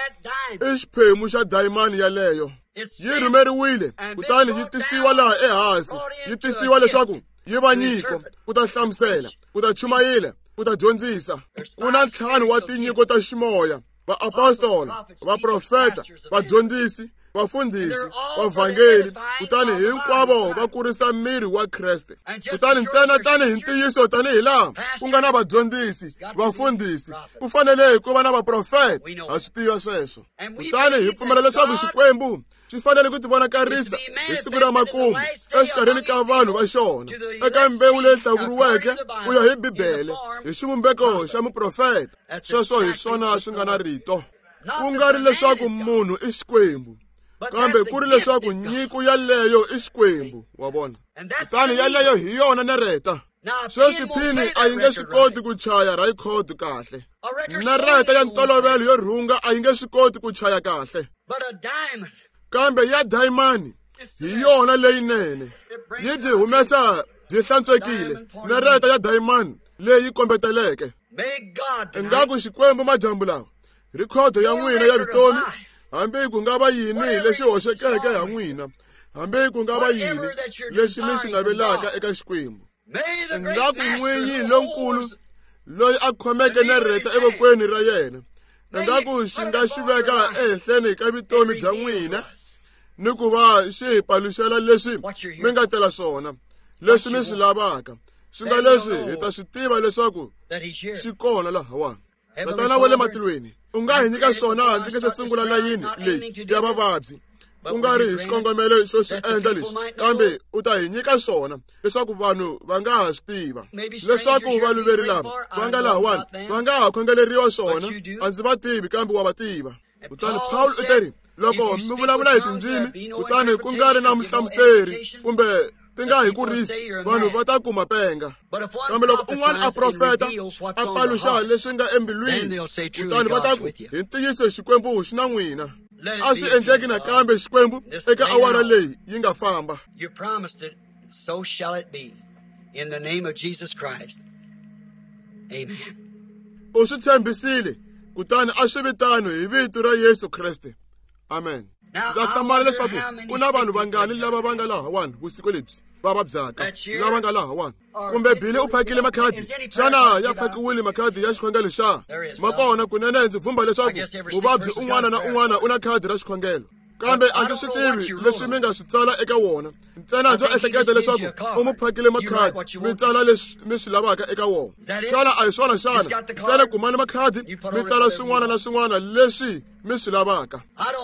A: i xiphemu xa dayimani yaleyo. Yi rhumeriwile kutani yi tisiwa laha ehansi, yi tisiwa leswaku yi va nyiko ku ta hlamusela, ku ta chumayela, ku ta dyondzisa. Ku na ntlhanu wa tinyiko ta ximoya: vaapostola, vaprofeta, vadyondzisi, vafundhisi, vavhangeli, kutani hinkwavo va kurisa miri wa Kreste. Kutani ntsena tanihi ntiyiso, tanihi laha ku nga na vadyondzisi, vafundhisi, ku fanele ku va na vaprofeta. Ha swi tiva sweswo. Kutani hi pfumela leswaku Xikwembu xi fanele ku tivonakarisa hi siku ra makumu exikarhini ka vanhu va xona, eka mbewu leyi hlawuriweke ku ya hi Bibele, hi xivumbeko xa muprofeta. Sweswo hi swona swi nga na rito. Ku nga ri leswaku munhu i Xikwembu, kambe ku ri leswaku nyiko yaleyo i Xikwembu. Wa vona? Kutani yaleyo hi yona nareta. Sweswi phini a yi nge swi koti ku chaya rhayikhodi kahle. Nareta ya ntolovelo yo rhunga a yi nge swi koti ku chaya kahle, kambe ya dayimani hi yona leyinene, yi byi humesa byi hlantswekile. Nareta ya dayimani leyi kombeteleke Ingaku Xikwembu madyambu lawa rhikhodo ya n'wina ya vutomi, hambi ku nga va yini lexi hoxekeke ha n'wina, hambi ku nga va yini lexi mi xi navelaka eka Xikwembu, ingaku n'winyi lonkulu loyi a khomeke nareta evokweni ra yena, ingaku xi nga xi veka ehenhleni ka vutomi bya n'wina ni ku va xi hi paluxela leswi mi nga tela swona, leswi mi swi lavaka, swi nga leswi hi ta swi tiva leswaku xi kona lahawani. Tatana wa le matilweni, u nga hi nyika swona ndzi nga se sungula layini leyi ya vavabyi, ku nga ri hi xikongomelo xo swi endla leswi, kambe u ta hi nyika swona leswaku vanhu va nga ha swi tiva, leswaku valuveri lava va nga lahawani va nga ha khongeleriwa swona. A ndzi va tivi, kambe wa va tiva. Kutani Paul u teri, loko mi vulavula hi tindzimi kutani ku nga ri na muhlamuseri kumbe ti nga hi kurisi, vanhu va ta kuma penga. Kambe loko un'wana a profeta a paluxa leswi nga embilwini, kutani va ta ku hi ntiyiso Xikwembu xi na n'wina. A swi endleki nakambe Xikwembu eka awara leyi yi nga famba.
B: You promised it, so shall it be. In the name of Jesus Christ. Amen.
A: U swi tshembisile, kutani a swi vitano hi vito ra Yesu Kreste. Amen. Ndza hlamala leswaku ku na vanhu vangani lava va nga lahawani vusiku lebyi va vabyaka, lava nga lahawani. Kumbe Billy u phakile makhadi? Xana ya phakiwile makhadi ya xikhongelo xa? Ma kona kunene. Ndzi vhumba leswaku muvabyi un'wana na un'wana u na khadi ra xikhongelo, kambe a ndzi swi tivi leswi mi nga swi tsala eka wona. Ntsena ndzo ehleketa leswaku u mu phakile makhadi, mi tsala leswi mi swi lavaka eka wona. Xana a hi swona xana? Ntsena kumani makhadi mi tsala swin'wana na swin'wana leswi mi swi lavaka.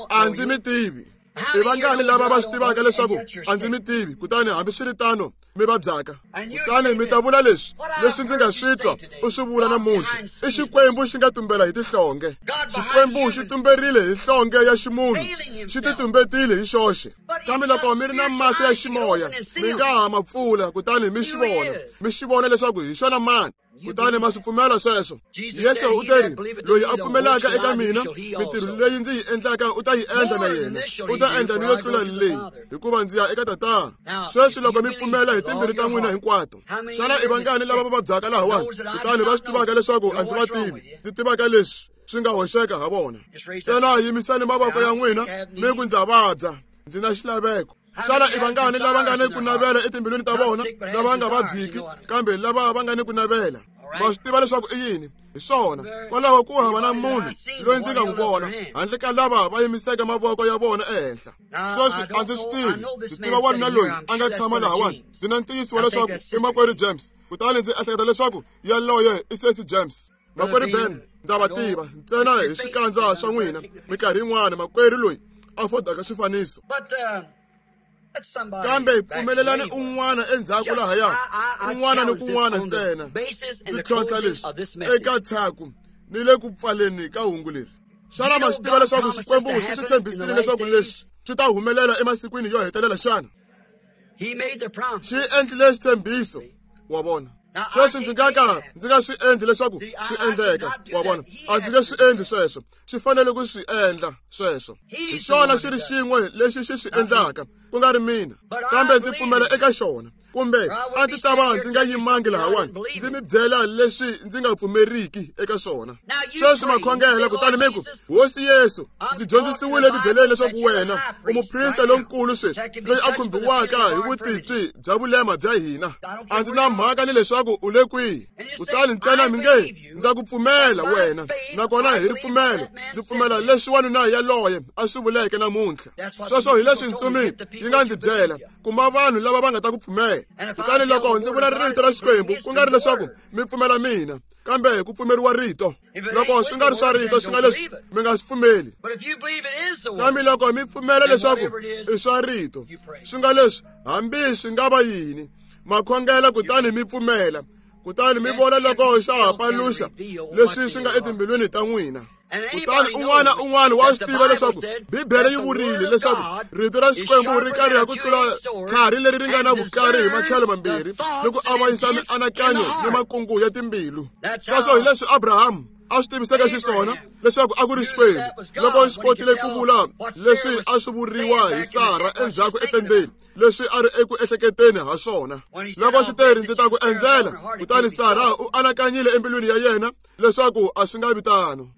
A: A ndzi mi tivi. I vangani lava va swi tivaka leswaku a ndzi mi tivi, kutani hambiswiritano mi vabyaka? Kutani mi ta vula leswi leswi ndzi nga swi twa u swi vula namuntlha, i Xikwembu xi nga tumbela hi tihlonge. Xikwembu xi tumberile hi hlonge ya ximunhu, xi ti tumbetile hi xoxe. Kambe loko mi ri na mahlo ya ximoya, mi nga ha ma pfula kutani mi xi vona, mi xi vona leswaku hi xona mani. Kutani ma swi pfumela sweswo. Yesu u teri, loyi a pfumelaka eka mina, mitirho leyi ndzi yi endlaka u ta yi endla na yena, u ta endla ni yo tlula leyi, hikuva ndzi ya eka Tatana. Sweswi loko mi pfumela hi timbilu ta n'wina hinkwato, xana i vangani lava va vabyaka lahawani kutani va swi tivaka leswaku a ndzi va tivi, ndzi tivaka leswi swi nga hoxeka ha vona? Ntsena yimisani mavoko ya n'wina mi ku ndza vabya, ndzi na xilaveko. Xana i vangani lava nga ni ku navela etimbilwini ta vona, lava nga vabyiki kambe lava va nga ni ku navela? Va swi tiva leswaku i yini? Hi swona. Kwalaho ku hava na munhu loyi ndzi nga n'wi vona handle ka lava va yimiseke mavoko ya vona ehenhla. Sweswi a ndzi swi tivi. Ndzi tiva wanuna loyi a nga tshama lahawani. Ndzi na ntiyiso wa leswaku i makwerhu James, kutani ndzi ehleketa leswaku yaloye i sesi James. Makwerhu Ben, ndza va tiva ntsena hi swikandza swa n'wina. Minkarhi yin'wana makwerhu loyi a fodaka swifaniso. Kambe pfumelelani un'wana endzhaku lahaya, un'wana ni kun'wana ntsena. Ndzi tlhontlha leswi eka tshaku ni le ku pfaleni ka hungu leri. Xana ma swi tiva leswaku Xikwembu xi swi tshembisile leswaku leswi swi ta humelela emasikwini yo hetelela xana? Xi endlile xitshembiso, wa vona. Sweswi ndzi nga ka ndzi nga swi endli leswaku swi endleka, wa vona. A ndzi nge swi endli sweswo. Swi fanele ku swi endla sweswo. Hi xona xi ri xin'we lexi xi swi endlaka, ku nga ri mina, kambe ndzi pfumela eka xona. Kumbe a ndzi ta va ndzi nga yimangi lahawani ndzi mi byela leswi ndzi nga pfumeriki eka swona. Sweswi makhongela kutani mi ku, Hosi Yesu, ndzi dyondzisiwile eBibeleni leswaku wena u muprista lonkulu sweswi loyi a khumbiwaka hi vutitwi bya vulema bya hina. A ndzi na mhaka ni leswaku u le kwihi. Kutani ntsena mi nge, ndza ku pfumela wena, nakona hi ripfumelo ndzi pfumela leswi wanuna yaloye a swi vuleke namuntlha. Sweswo hi leswi ntsumi yi nga ndzi byela, kuma vanhu lava va nga ta ku pfumela. Kutani loko ndzi vula rito ra Xikwembu, ku nga ri leswaku mi pfumela mina, kambe ku pfumeriwa rito. Loko swi nga ri swa rito, swi nga leswi mi nga swi pfumeli. Kambe loko mi pfumela leswaku i swa rito, swi nga leswi hambi swi nga va yini, makhongela kutani mi pfumela, kutani mi vona loko xa ha paluxa leswi swi nga etimbilwini ta n'wina. Kutani un'wana un'wana wa swi tiva leswaku Bibele yi vurile leswaku rito ra Xikwembu ri kariha ku tlula tlhari leri ri nga na vukari hi matlhelo mambirhi ni ku avanyisa mianakanyo ni makungu ya timbilu. Sweswo hi leswi Abrahamu A swi tiviseke xiswona leswaku a ku ri Xikwembu loko xi kotile ku vula leswi a swi vuriwa hi Sara endzhaku etendeni, leswi a ri eku ehleketeni ha swona. Loko xi teri ndzi ta ku endzela, kutani Sara u anakanyile embilwini ya yena leswaku a swi nga vi tano.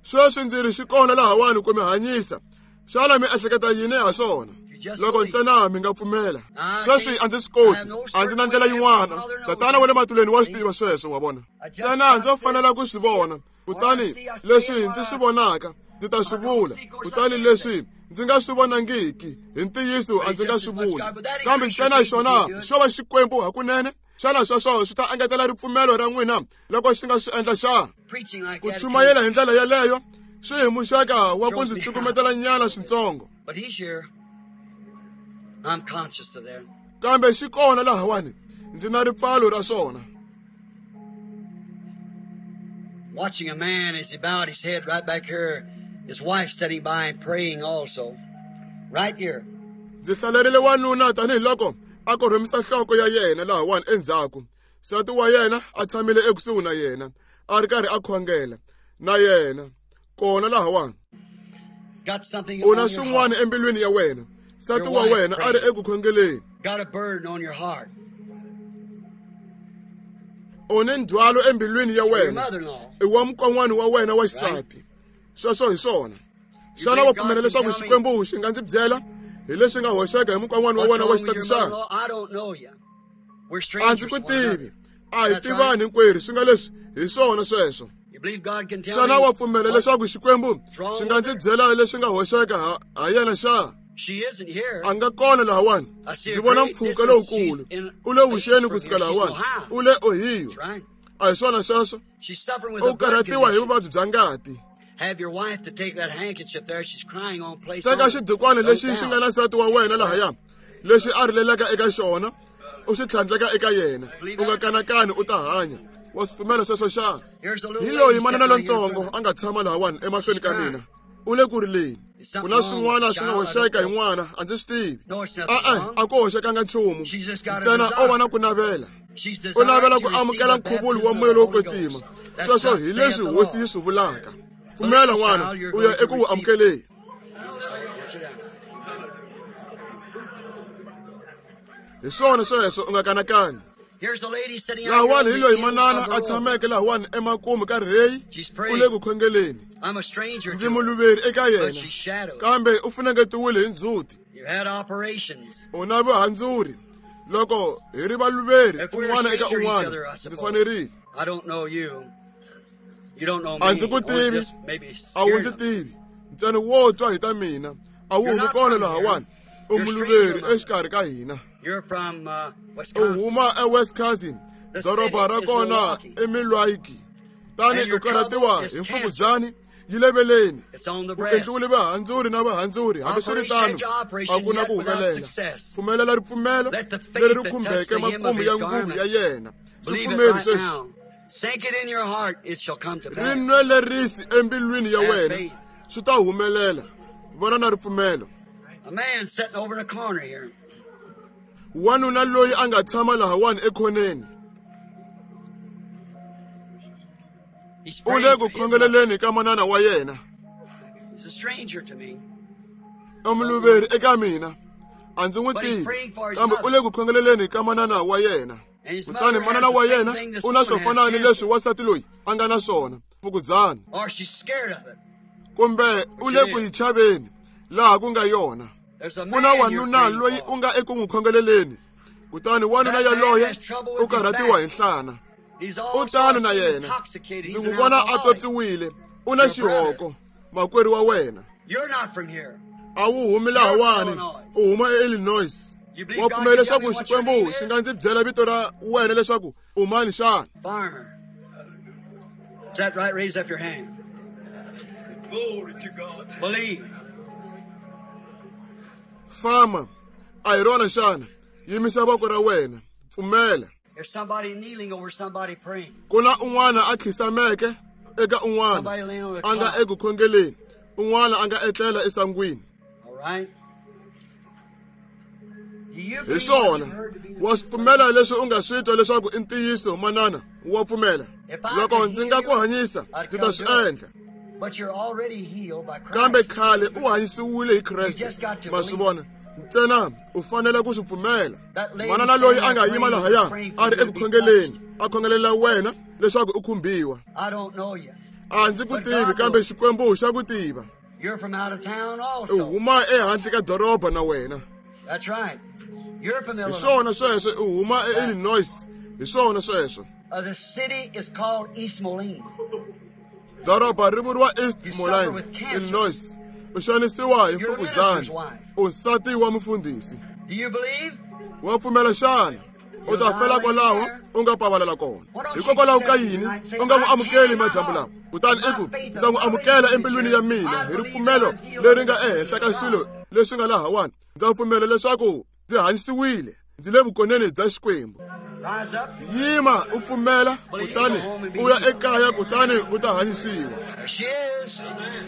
A: Sweswi ndzi ri xi kona lahawani ku mi hanyisa. Xana mi ehleketa yini ha swona? Loko ntsena mi nga pfumela. Sweswi a ndzi swi koti, a ndzi na ndlela yin'wana. Tatana wa le matilweni wa swi tiva sweswo, wa vona. Ntsena ndzo fanela ku swi vona, kutani leswi ndzi swi vonaka ndzi ta swi vula, kutani leswi ndzi nga swi vonangiki hi ntiyiso a ndzi nga swi vuli. Kambe ntsena xona xo va Xikwembu hakunene. Xana sweswo swi ta engetela ripfumelo ra n'wina loko xi nga swi endla xana? Ku chumayela hi ndlela yeleyo swi hi muxaka wa ku ndzi cukumetela nyana swintsongo. Kambe xi kona lahawani, ndzi na ripfalo ra swona.
B: Watching a man as he bowed his head right back here, his wife sitting by and praying also. Right here.
A: Ndzi hlalerile wanuna tanihiloko a korhomisa nhloko ya yena lahawani endzhaku. Nsati wa yena a tshamile ekusuhi na yena, a ri karhi a khongela na yena kona lahawani. U na swin'wana embilwini ya wena. Nsati wa wena a ri eku khongeleni. U ni ndzhwalo embilwini ya wena. I wa mukon'wana wa wena wa xisati. Sweswo hi swona. Xana wa pfumela leswaku Xikwembu xi nga ndzi byela hi leswi nga hoxeka hi mukon'wana wa wena wa xisati xana? A ndzi ku tivi. A hi tivani hinkwerhu, swi nga leswi hi swona sweswo. Xana wa pfumela leswaku Xikwembu xi nga ndzi byela leswi nga hoxeka ha yena xana? A nga kona lahawani. Ndzi vona mpfhuka lowukulu. U le vuxeni kusuka lahawani. U le Ohio. A hi swona sweswo? U karhatiwa hi vuvabyi bya ngati. Teka xidukwana lexi xi nga na nsati wa wena lahaya, lexi a rilelaka eka xona, u xi tlhandleka eka yena. U nga kanakani, u ta hanya. Wa swi pfumela sweswo xana? Hi loyi manana lontsongo a nga tshama lahawani emahlweni ka mina. U le ku rileni. Ku na swin'wana swi nga hoxeka hi n'wana, a ndzi swi tivi. E-e, a ku hoxekanga nchumu. Ntsena o va na ku navela. U navela ku amukela nkhuvulo wa moya lowo kwetsima. Sweswo hi leswi Hosi yi swi vulaka. Pfumela n'wana, u ya eku wu amukeleni. Hi swona sweswo, u nga kanakani. Lahawani hi loyi manana a tshameke lahawani emakumu ka rheyi, u le ku khongeleni. Ndzi muluveri eka yena, kambe u funengetiwile hi ndzhuti. U na vuhandzuri. Loko hi ri valuveri un'wana eka un'wana, ndzi fanerile. A ndzi ku tivi, a wu ndzi tivi. Ntsena wo twa hi ta mina, a wu humi kona lahawani. U muluveri exikarhi ka hina. U huma eWisconsin, doroba ra kona i Milwaukee. Tani u karhatiwa hi mfukuzani yi le veleni. U endliwile vahandzuri na vahandzuri, hambiswiritano a ku na ku humelela. Pfumelela ripfumelo leri ri khumbeke makumu ya nguvu ya yena. Swi pfumeri sweswi. Ri nwelerisi embilwini ya wena, swi ta humelela. Vona na ripfumelo. Wanuna loyi a nga tshama lahawani ekhoneni, u le ku khongeleleni ka manana wa yena. I muluveri eka mina, a ndzi n'wi tivi, kambe u le ku khongeleleni ka manana wa yena. Kutani manana wa yena u na swo fana ni leswi wansati loyi a nga na swona, mfukuzana, kumbe u le ku yi chaveni laha ku nga yona. Ku na wanuna loyi u nga eku n'wi khongeleleni, kutani wanuna yaloye u karhatiwa hi nhlana. U tano na yena. Ndzi n'wi vona a tswotswiwile. U na xihoko, makwerhu wa wena. A wu humi lahawani, u huma eIllinois. Wa pfumela leswaku Xikwembu xi nga ndzi byela vito ra wena leswaku u mani xana? Fama, a hi rona xana? Yimisa voko ra wena, pfumela. Ku na un'wana a khisameke eka un'wana a nga eku khongeleni, un'wana a nga etlela esangwini. Hi swona, wa swi pfumela leswi u nga swi twa leswaku i ntiyiso manana, wa pfumela. Loko ndzi nga ku hanyisa, ndzi ta swi endla. Kambe khale u hanyisiwile hi Kreste. Ma swi vona? Ntsena u fanele ku swi pfumela. Manana loyi a nga yima lahaya a ri eku khongeleni, a khongelela wena leswaku u khumbiwa. A ndzi ku tivi, kambe Xikwembu xa ku tiva. U huma ehandle ka doroba na wena. Hi swona sweswo, u huma eIllinois. Hi swona sweswo. Doroba ri vuriwa East Moline, Illinois. U xanisiwa hi mfukuzana. U nsati wa mufundhisi. Wa pfumela xana? U ta fela kwalaho u nga pavalela kona. Hikokwalaho ka yini u nga n'wi amukeli madyambu lawa? Kutani i ku, ndza n'wi amukela embilwini ya mina hi ripfumelo leri nga ehenhla ka swilo leswi nga lahawani. Ndza pfumela leswaku ndzi hanyisiwile, ndzi le vukoneni bya Xikwembu. Yima u pfumela, kutani u ya ekaya, kutani u ta hanyisiwa.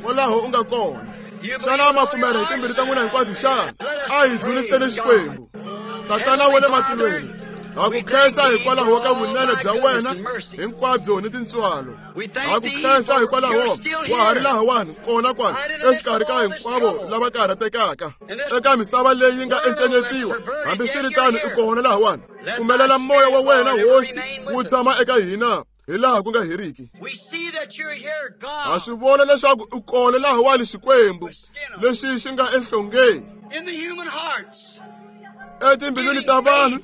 A: Kwalaho u nga kona. Xana ma pfumela hi timbilu ta n'wina hinkwato xana? A hi dzuniseni Xikwembu. Tatana wa le matilweni, ha ku khensa hikwalaho ka vunene bya wena hinkwabyo ni tintswalo. Ha ku khensa hikwalaho wa ha ri lahawani kona kwala exikarhi ka hinkwavo lava karhatekaka eka misava leyi nga encenyetiwa. Hambiswiritano i kona lahawani. Pfumelela moya wa wena Hosi wu tshama eka hina hi laha ku nga heriki. Ha swi vona leswaku u kona lahawani Xikwembu lexi xi nga enhlongeni etimbilwini ta vanhu,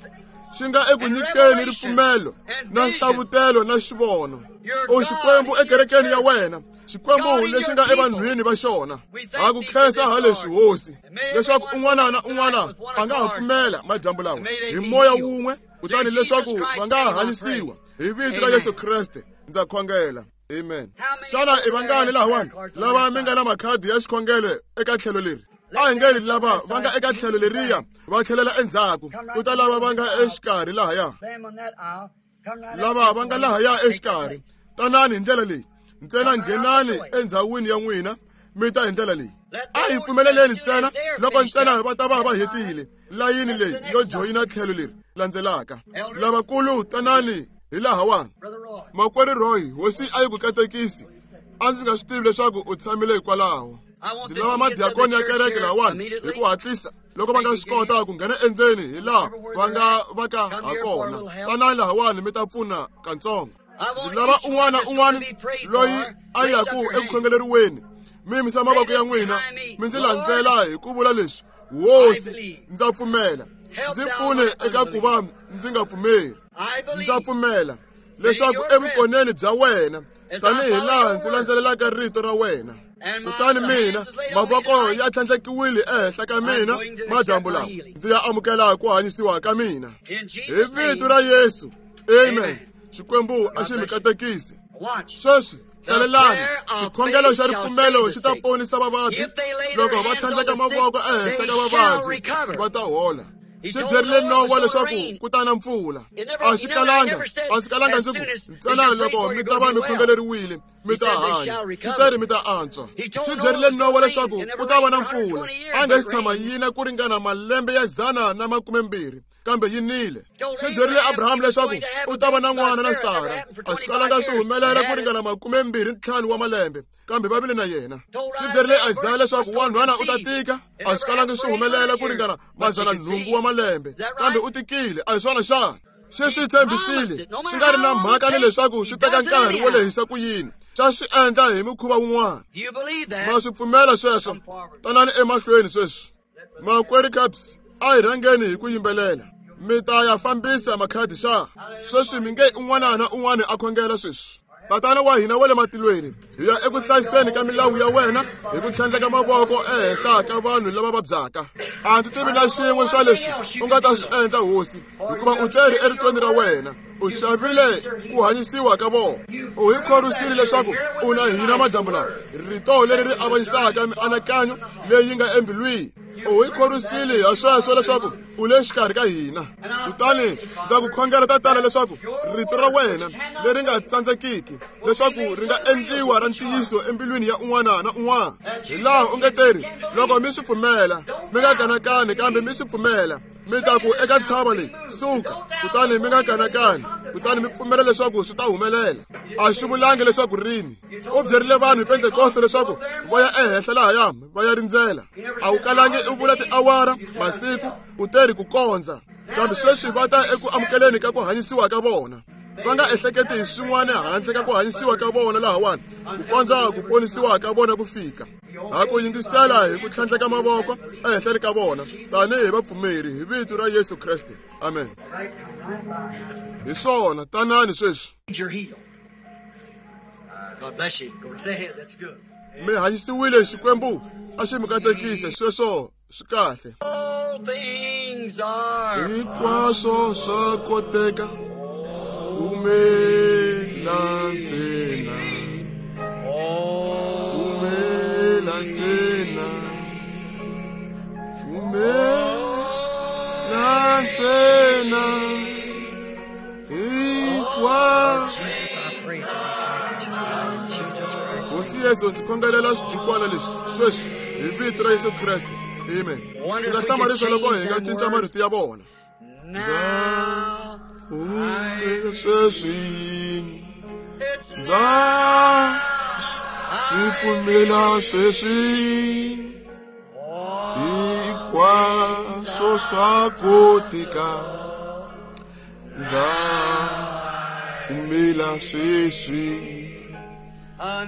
A: xi nga eku nyikeni ripfumelo na nhlavutelo na xivono. U Xikwembu ekerekeni ya wena, Xikwembu lexi nga evanhwini va xona. Ha ku khensa ha leswi Hosi, leswaku un'wana na un'wana a nga ha pfumela madyambu lawa hi moya wun'we, kutani leswaku va nga hanyisiwa hi vito ra Yesu Kreste. Ndza khongela. Amen. Xana i vangani lahawani lava mi nga na makhadi ya xikhongelo eka tlhelo leri? A hi nge lava va nga eka tlhelo leriya va tlhelela endzhaku, ku ta lava va nga exikarhi lahaya. Lava va nga lahaya exikarhi, tanani hi ndlela leyi. Ntsena nghenani endzhawini ya n'wina, mi ta hi ndlela leyi. A hi pfumeleleni ntsena loko ntsena va ta va va hetile layini leyi yo joyina tlhelo leri landzelaka. Lavakulu tanani hi lahawani. Makwerhu Roy, Hosi a yi ku katekisi. A ndzi nga swi tivi leswaku u tshamile hikwalaho. Ndzi lava madiakoni ya kereke lahawani hi ku hatlisa loko va nga swi kota ku nghena endzeni hi laha va nga va ka ha kona. Tanani lahawani mi ta pfuna katsongo. Ndzi lava un'wana na un'wana loyi a yaku eku khongeleriweni, mi yimisa mavoko ya n'wina mi ndzi landzela hi ku vula leswi: Hosi, ndza pfumela, ndzi pfune eka ku va ndzi nga pfumeri. Ndza pfumela leswaku evukoneni bya wena, tanihi laha ndzi landzelelaka rito ra wena, kutani mina mavoko ya tlhandlekiwile ehenhla ka mina madyambu lawa, ndzi ya amukela ku hanyisiwa ka mina hi vito ra Yesu. Amen. Xikwembu a xi mi katekisi. Sweswi hlalelani, xikhongelo xa ripfumelo xi ta ponisa vavabyi. Loko va tlhandleka mavoko ehenhla ka vavabyi va ta hola. Xi byerile Nowa leswaku ku ta na mpfula. A xi kalanga, a ndzi kalanga ndzi ku ntsena loko mi ta va mi khongeleriwile mi ta hanya. Xi teri mi ta antswa. Xi byerile Nowa leswaku ku ta va na mpfula. A nga xi tshama yina ku ringana malembe ya dzana na makumembirhi, kambe yi nile. Xi byerile Abraham leswaku u ta va na n'wana na Sara. A swi kalanga swi humelela ku ringana makumembirhi ntlhanu wa malembe, kambe va vile na yena. Xi byerile Isaya leswaku wanhwana u ta tika. A swi kalanga swi humelela ku ringana madzana nhungu wa malembe, kambe u tikile. A hi swona xana? Xi swi tshembisile, swi nga ri na mhaka ni leswaku swi teka nkarhi wo lehisa ku yini, xa swi endla hi mikhuva wun'wana. Ma swi pfumela sweswo? Tanani emahlweni sweswi. Makwerhu Caps, a hi rhangeni hi ku yimbelela. Mi ta ya fambisa makhadi xa? Sweswi mi nge un'wana na un'wana a khongela sweswi. Tatana wa hina wa le matilweni, hi ya eku hlayiseni ka milawu ya wena hi ku tlhandleka mavoko ehenhla ka vanhu lava vabyaka. A ndzi tivi na xin'we swa leswi u nga ta swi endla Hosi, hikuva u teri eritweni ra wena. U xavile ku hanyisiwa ka vona. U hi khorwisile leswaku u na hina madyambu lawa, rito leri ri avanyisaka mianakanyo leyi nga embilwini. U hi khorwisile ha sweswo leswaku u le xikarhi ka hina. Kutani ndza ku khongela Tatana leswaku rito ra wena leri nga tsandzekiki leswaku ri nga endliwa ra ntiyiso embilwini ya un'wana na un'wana. Hi laha u nge teri, loko mi swi pfumela, mi nga kanakani, kambe mi swi pfumela, Mi ta ku eka ntshava leyi, suka, kutani mi nga kanakani, kutani mi pfumela leswaku swi ta humelela. A swi vulangi leswaku rini. U byerile vanhu hi Pentekoste leswaku va ya ehenhla lahaya va ya rindzela. A wu kalangi u vula tiawara, masiku, u teri ku kondza. Kambe sweswi va ta eku amukeleni ka ku hanyisiwa ka vona. Va nga ehleketi hi swin'wana handle ka ku hanyisiwa ka vona lahawani, ku kondza ku ponisiwa ka vona ku fika. Ha ku yingisela hi ku tlhandleka mavoko ehenhleni ka vona tanihi vapfumeri hi vito ra Yesu Kreste. Amen. Hi swona, tanani sweswi. Mi hanyisiwile, Xikwembu a xi mi katekise. Sweswo swi kahle. Hinkwaswo swa koteka, pfumela ntsena, pfumela ntsena, pfumela ntsena. Hinkwaswo. Hosi Yesu, ndzi khongelela swidikwana leswi sweswi hi vito ra Yesu Kreste. Amen. Swi nga hlamarisa loko hi nga cinca marito ya vona. Ndza pfumela sweswi, ndza swi pfumela sweswi, hinkwaswo swa koteka, ndza pfumela sweswi,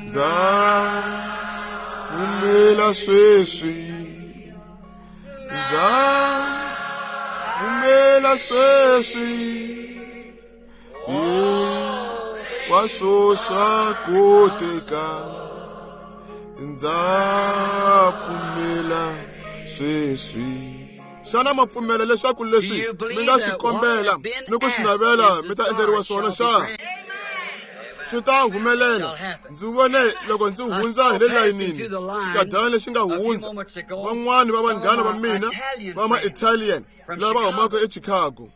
A: ndza pfumela sweswi, ndza pfumela sweswi, hinkwaswo swa koteka, ndza pfumela sweswi. Xana ma pfumela leswaku leswi mi nga swi kombela ni ku swi navela mi ta endleriwa swona xa? Swi ta humelela. Ndzi vone loko ndzi hundza hi le layinini xikadyana lexi nga hundza, van'wani va vanghana va mina va ma-Italian lava humaka eChicago.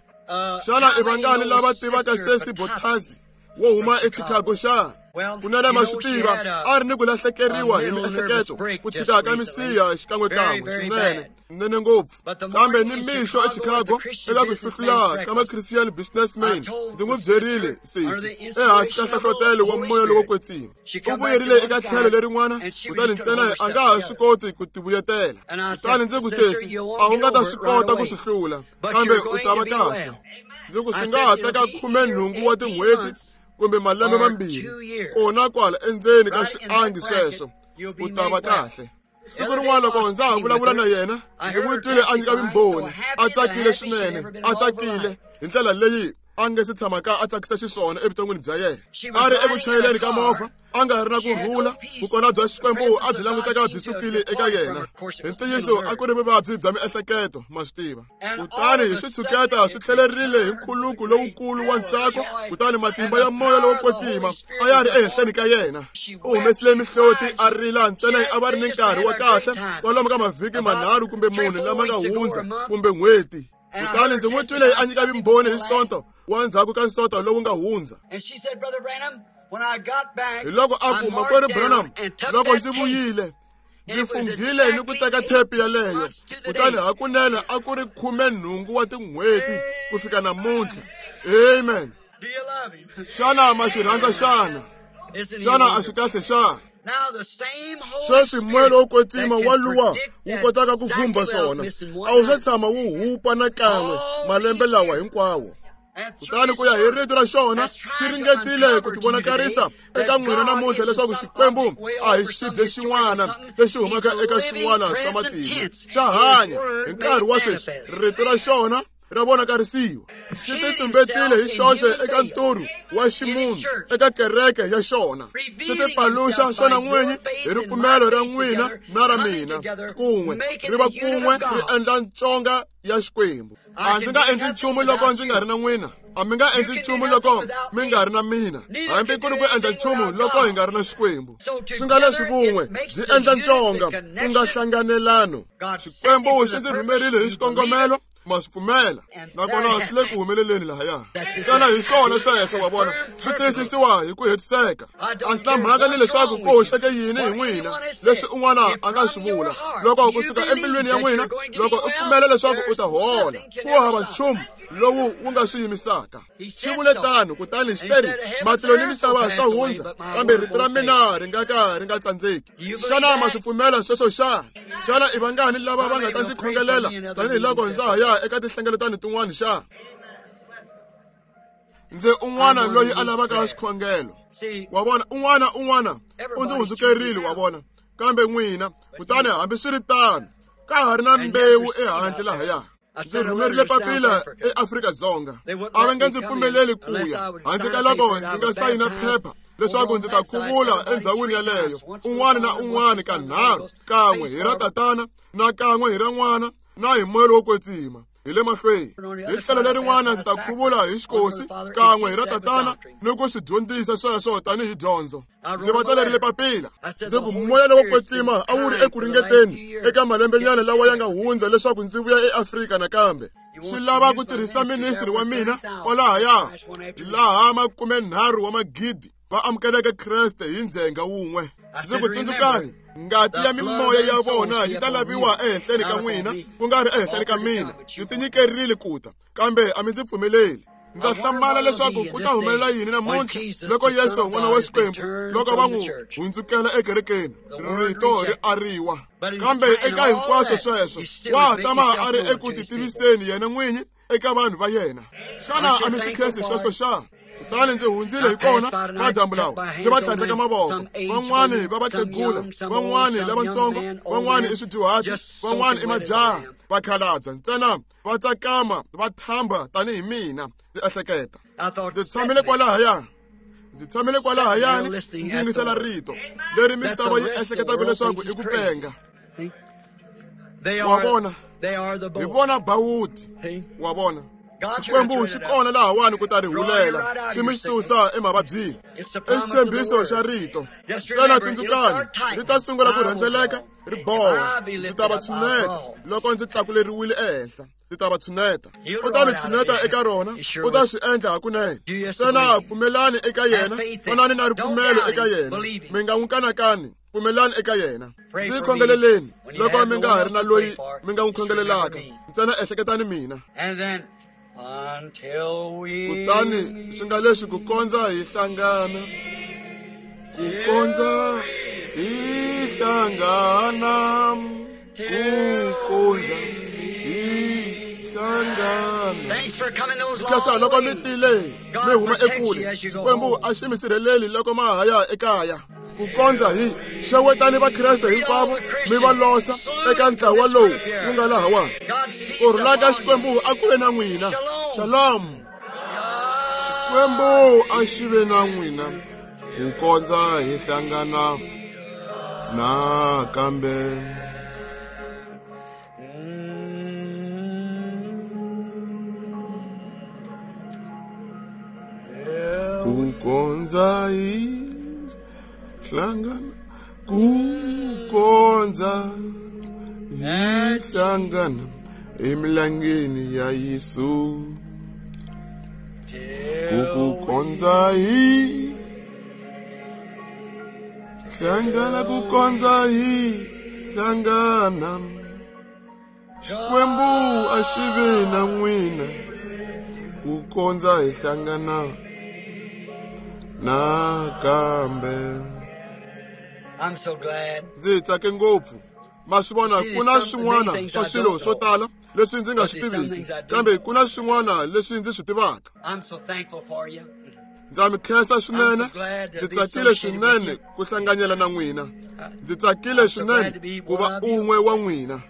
A: Xana i vangani lava tivaka Sesi Bottazzi wo huma eChicago xa? Kunene ma swi tiva, a ri ni ku lahlekeriwa hi miehleketo, ku tshika ka misiha xikan'wekan'we swinene, nene ngopfu. Kambe ni mixo eChicago eka ku hluhlula ka ma-Christian Businessman, ndzi n'wi byerile sesi ehansi ka nhlohlotelo wa moya lowo kwetsima. U vuyerile eka tlhelo lerin'wana, kutani ntsena a nga ha swi koti ku tivuyetela. Kutani ndzi ku, sesi, a wu nga ta swi kota ku swi hlula, kambe u ta va kahle. Ndzi ku swi nga ha teka khumenhungu wa tin'hweti kumbe malembe mambirhi, kona kwala endzeni ka xiangi sweswo, u ta va kahle. Siku rin'wana loko ndza ha vulavula na yena, ndzi n'wi twile a nyika vumbhoni, a tsakile swinene, a tsakile hi ndlela leyi a nge se tshamaka a tsakisa xiswona evuton'wini bya yena. A ri eku chayeleni ka movha, a nga ri na ku rhula, vukona bya Xikwembu a byi languteka byi sukile eka yena. Hi ntiyiso a ku ri vuvabyi bya miehleketo, ma swi tiva. Kutani hi xitshuketa swi tlhelerile hi nkhuluko lowukulu wa ntsako, kutani matimba ya moya lowo kwetsima a ya ri ehenhleni ka yena. U humesile mihloti a rila ntsena a va ri ni nkarhi wa kahle kwalomu ka mavhiki manharhu kumbe mune lama nga hundza kumbe n'hweti. Kutani ndzi n'wi twile a nyika vumbhoni hi Sonto wa ndzhaku ka Sonto lowu nga hundza. Hi loko a ku, Makwerhu Branham, loko ndzi vuyile, ndzi funghile ni ku teka thepi yaleyo, kutani hakunene a ku ri khumenhungu wa tin'hweti ku fika namuntlha. Amen. Xana ma xi rhandza xana? Xana a swi kahle xana? Sweswi moya lowo kwetsima wa luwa wu kotaka ku vhumba swona, a wu se tshama wu hupa nakan'we malembe lawa hinkwawo. Kutani ku ya hi rito ra xona, xi ringetile ku tivonakarisa eka n'wina namuntlha leswaku Xikwembu a hi xibye xin'wana lexi humaka eka xin'wana swa matimu. Xa hanya hi nkarhi wa sweswi, rito ra xona ra vonakarisiwa. Xi titumbetile hi xoxe eka nturhu wa ximunhu eka kereke ya xona. Xi tipaluxa xona n'winyi hi ripfumelo ra n'wina na ra mina kun'we, ri va kun'we ri endla ntsonga ya Xikwembu. A ndzi nga endli nchumu loko ndzi nga ri na n'wina, a mi nga endli nchumu loko mi nga ri na mina, hambi ku ri ku endla nchumu loko hi nga ri na Xikwembu. Swi nga leswi vun'we byi endla ntsonga, ku nga hlanganelano. Xikwembu xi ndzi rhumerile hi xikongomelo, Ma swi pfumela nakona swi le ku humeleleni lahaya. Ntsena hi swona sweswo wa vona swi tiyisisiwa hi ku hetiseka. A ndzi na mhaka ni leswaku ku hoxeke yini hi n'wina leswi un'wana a nga swi vula. Loko kusuka embilwini ya n'wina loko u pfumela leswaku u ta hola, ku hava nchumu lowu wu nga swi yimisaka. Xi vule tano, kutani xi teri matilo ni misava swa hundza, kambe rito ra mina ri nga ka ri nga tsandzeki. Xana ma swi pfumela sweswo xana? Xana i vangani lava va nga ta ndzi khongelela tanihiloko ndza ha ya eka tinhlengeletano tin'wana xana? Ndzi un'wana loyi a lavaka xikhongelo. Wa vona, un'wana un'wana u ndzi hundzukerile, wa vona, kambe n'wina kutani hambiswiritano ka ha ri na mbewu ehandle lahaya. Ndzi rhumerile papila eAfrika-Dzonga. A va nga ndzi pfumeleli ku ya handle ka loko ndzi nga sayina phepha leswaku ndzi ta khuvula endhawini yaleyo un'wana na un'wana kanharhu, kan'we hi ra tatana na kan'we hi ra n'wana na hi moya lowo kwetsima hi le mahlweni. Hi tlhelo lerin'wana ndzi ta khuvula hi xikosi kan'we hi ra tatana ni ku swi dyondzisa sweswo tanihi dyondzo. Ndzi va tsalerile papila ndzi ku moya lowo kwetsima a wu ri eku ringeteni eka malembenyana lawa ya nga hundza leswaku ndzi vuya eAfrika nakambe. Swi lava ku tirhisa ministry wa mina kwalahaya laha makumenharhu wa magidi va amukeleke Kreste hi ndzhenga wun'we. Ndzi ku tsundzukani, ngati ya mimoya ya vona yi ta laviwa ehenhleni ka n'wina ku nga ri ehenhleni ka mina. Ndzi tinyikerile ku ta, kambe a mi ndzi pfumeleli. Ndza hlamala leswaku ku ta humelela yini namuntlha loko Yesu n'wana wa Xikwembu loko va n'wi hundzukela ekerekeni, rito ri ariwa. Kambe eka hinkwaswo sweswo wa ha tama a ri eku titiviseni yena n'winyi eka vanhu va yena. Xana a mi swi khensi sweswo xana? Kutani ndzi hundzile hi kona madyambu lawa ndzi va tlhandleka mavoko, van'wani va vakhegula, van'wani lavatsongo, van'wani i swidyuhati, van'wani i majaha, vakhalabya ntsena va tsakama va thamba tanihi mina. Ndzi ehleketa ndzi tshamile kwalahaya, ndzi tshamile kwalahayani ndzi yingisela rito leri misava yi ehleketaka leswaku i ku penga. Wa vona, hi vona bawuti, wa vona. Xikwembu xi kona lahawani ku ta ri hulela xi mi susa emavabyini. I xitshembiso xa rito. Ntsena tsundzukani, ri ta sungula ku rhendzeleka ri boha. Ndzi ta va tshuneta loko ndzi tlakuleriwile ehenhla. Ndzi ta va tshuneta. U ta mi tshuneta eka rona, u ta swi endla hakunene. Ntsena pfumelani eka yena, vonani na ripfumelo eka yena. Mi nga n'wi kanakani, pfumelani eka yena. Ndzi khongeleleni loko mi nga ha ri na loyi mi nga n'wi khongelelaka. Ntsena ehleketani mina. Kutani swi nga leswi ku kondza hi hlangana, ku kondza hi hlangana, ku kondza hi hlangana. Khensa loko mi tile mi huma ekule, Xikwembu a xi mi sirheleli loko ma ha ya ekaya. Ku kondza hi xewetani va Kreste hinkwavo mi va losa eka ntlawa lowu wu nga lahawani. Ku rhula ka Xikwembu a ku ve na n'wina. Shalom. Xikwembu a xi ve na n'wina ku kondza hi hlangana nakambe. Ku kondza hi hlangana, ku kondza hi hlangana emilangeni ya Yesu. Ku ku kondza hi hlangana, ku kondza hi hlangana. Xikwembu a xi ve na n'wina ku kondza hi hlangana nakambe.
B: I'm so glad.
A: Ndzi tsake ngopfu. Ma swi vona, ku na swin'wana swa swilo swo tala leswi ndzi nga swi tiviki, kambe ku na swin'wana leswi ndzi swi tivaka.
B: I'm so thankful for you.
A: Ndza mi khensa swinene. Ndzi tsakile swinene ku hlanganyela na n'wina. Ndzi tsakile swinene ku va un'we wa n'wina.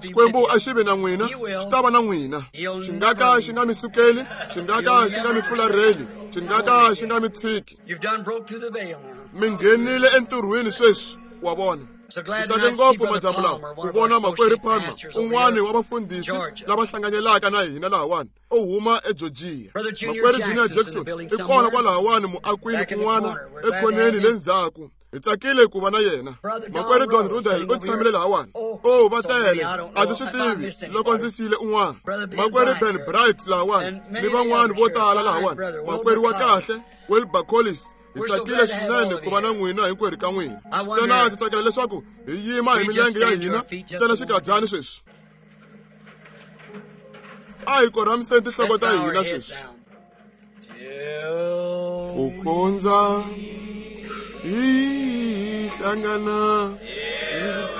A: Xikwembu a xi ve na n'wina, xi ta va na n'wina. Xi nga ka xi nga mi sukeli, xi nga ka xi nga mi fularheli, xi nga ka xi nga mi tshiki.
B: You've done broke through the veil now.
A: Mi nghenile entirhweni sweswi, wa vona. Ndzi tsake ngopfu madyambu lawa ku vona makwerhu Palmer, un'wani wa vafundhisi lava hlanganyelaka na hina lahawani, u huma eGeorgia. Makwerhu Junior Jackson i kona kwalahawani muakwini kun'wana ekhoneni le ndzhaku. Hi tsakile ku va na yena. Makwerhu Don Rudel u tshamile lahawani. Oh, va tele, a ndzi swi tivi loko ndzi siyile un'wana. Makwerhu Ben Bright lahawani ni van'wana vo tala lahawani. Makwerhu wa kahle Wilbur Collis, hi tsakile swinene ku va na n'wina hinkwerhu ka n'wina. Ntsena ndzi tsakela leswaku hi yima hi milenge ya hina ntsena xinkadyana sweswi. A hi korhamiseni tinhloko ta hina sweswi. Ku kondza hi hlangana,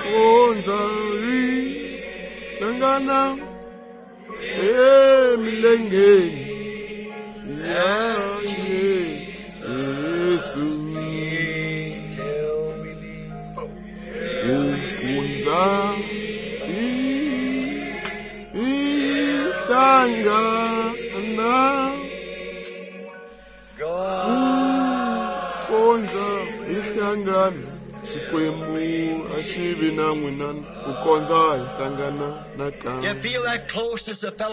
A: ku kondza hi hlangana emilengeni ya Yesu. Ku kondza hi hlangana, ku kondza hi hlangana, Xikwembu a xi vi na n'wina ku kondza hi hlangana nakambe.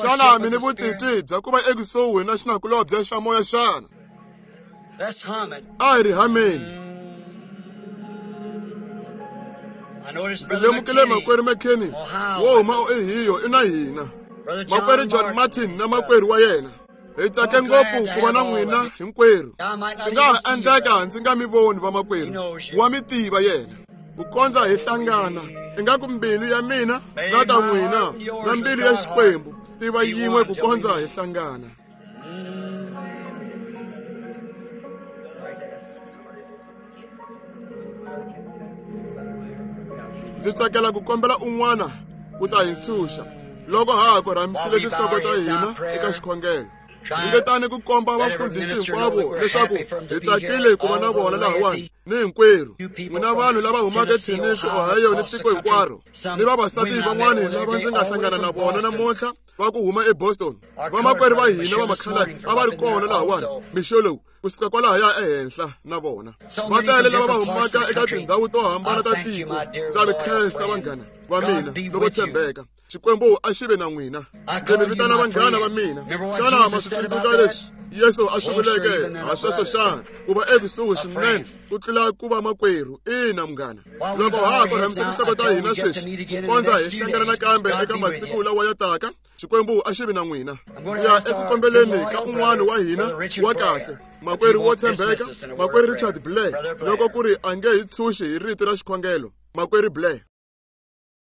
A: Xana mi ni vutitwi bya ku va ekusuhi na xinakulobye xa moya xana? A hi ri hameni. Ndzi lemukile makwerhu McKinney wo huma Ohio i na hina. Makwerhu John Martin na makwerhu wa yena. Hi tsake ngopfu ku va na n'wina hinkwerhu. Swi nga ha endleka ndzi nga mi voni vamakwerhu, wa mi tiva yena. Ku kondza hi hlangana, ingaku mbilu ya mina na ta n'wina na mbilu ya Xikwembu tiva yin'we ku kondza hi hlangana. Ndzi tsakela ku kombela un'wana ku ta hi ntshunxa loko ha ha korhamisile tinhloko ta hina eka xikhongelo. Ringetani ku komba vafundhisi hinkwavo leswaku hi tsakile ku va na vona lahawani ni hinkwerhu. N'wina vanhu lava humaka eTennessee, Ohio ni tiko hinkwaro, ni vavasati van'wani lava ndzi nga hlangana na vona namuntlha va ku huma eBoston. Vamakwerhu va hina va makhaladi a va ri kona lahawani mixo lowu kusuka kwalahaya ehenhla na vona. Va tele lava va humaka eka tindhawu to hambana ta tiko. Ndza mi khensa vanghana va mina loko tshembeka. Xikwembu a xi ve na n'wina. Ndzi mi vitana vanghana va mina. Xana ma swi tsundzuka leswi Yesu a swi vuleke ha sweswo xana? Ku va ekusuhi swinene ku tlula ku va makwerhu. Ina munghana, loko ha ha korhamisa tinhloko ta hina sweswi ku kondza hi hlangana nakambe eka masiku lawa ya taka, Xikwembu a xi vi na n'wina. Ndzi ya eku kombeleni ka un'wana wa hina wa kahle, makwerhu wo tshembeka, makwerhu Richard Blair, loko ku ri a nge hi tshunxi hi rito ra xikhongelo. Makwerhu Blair.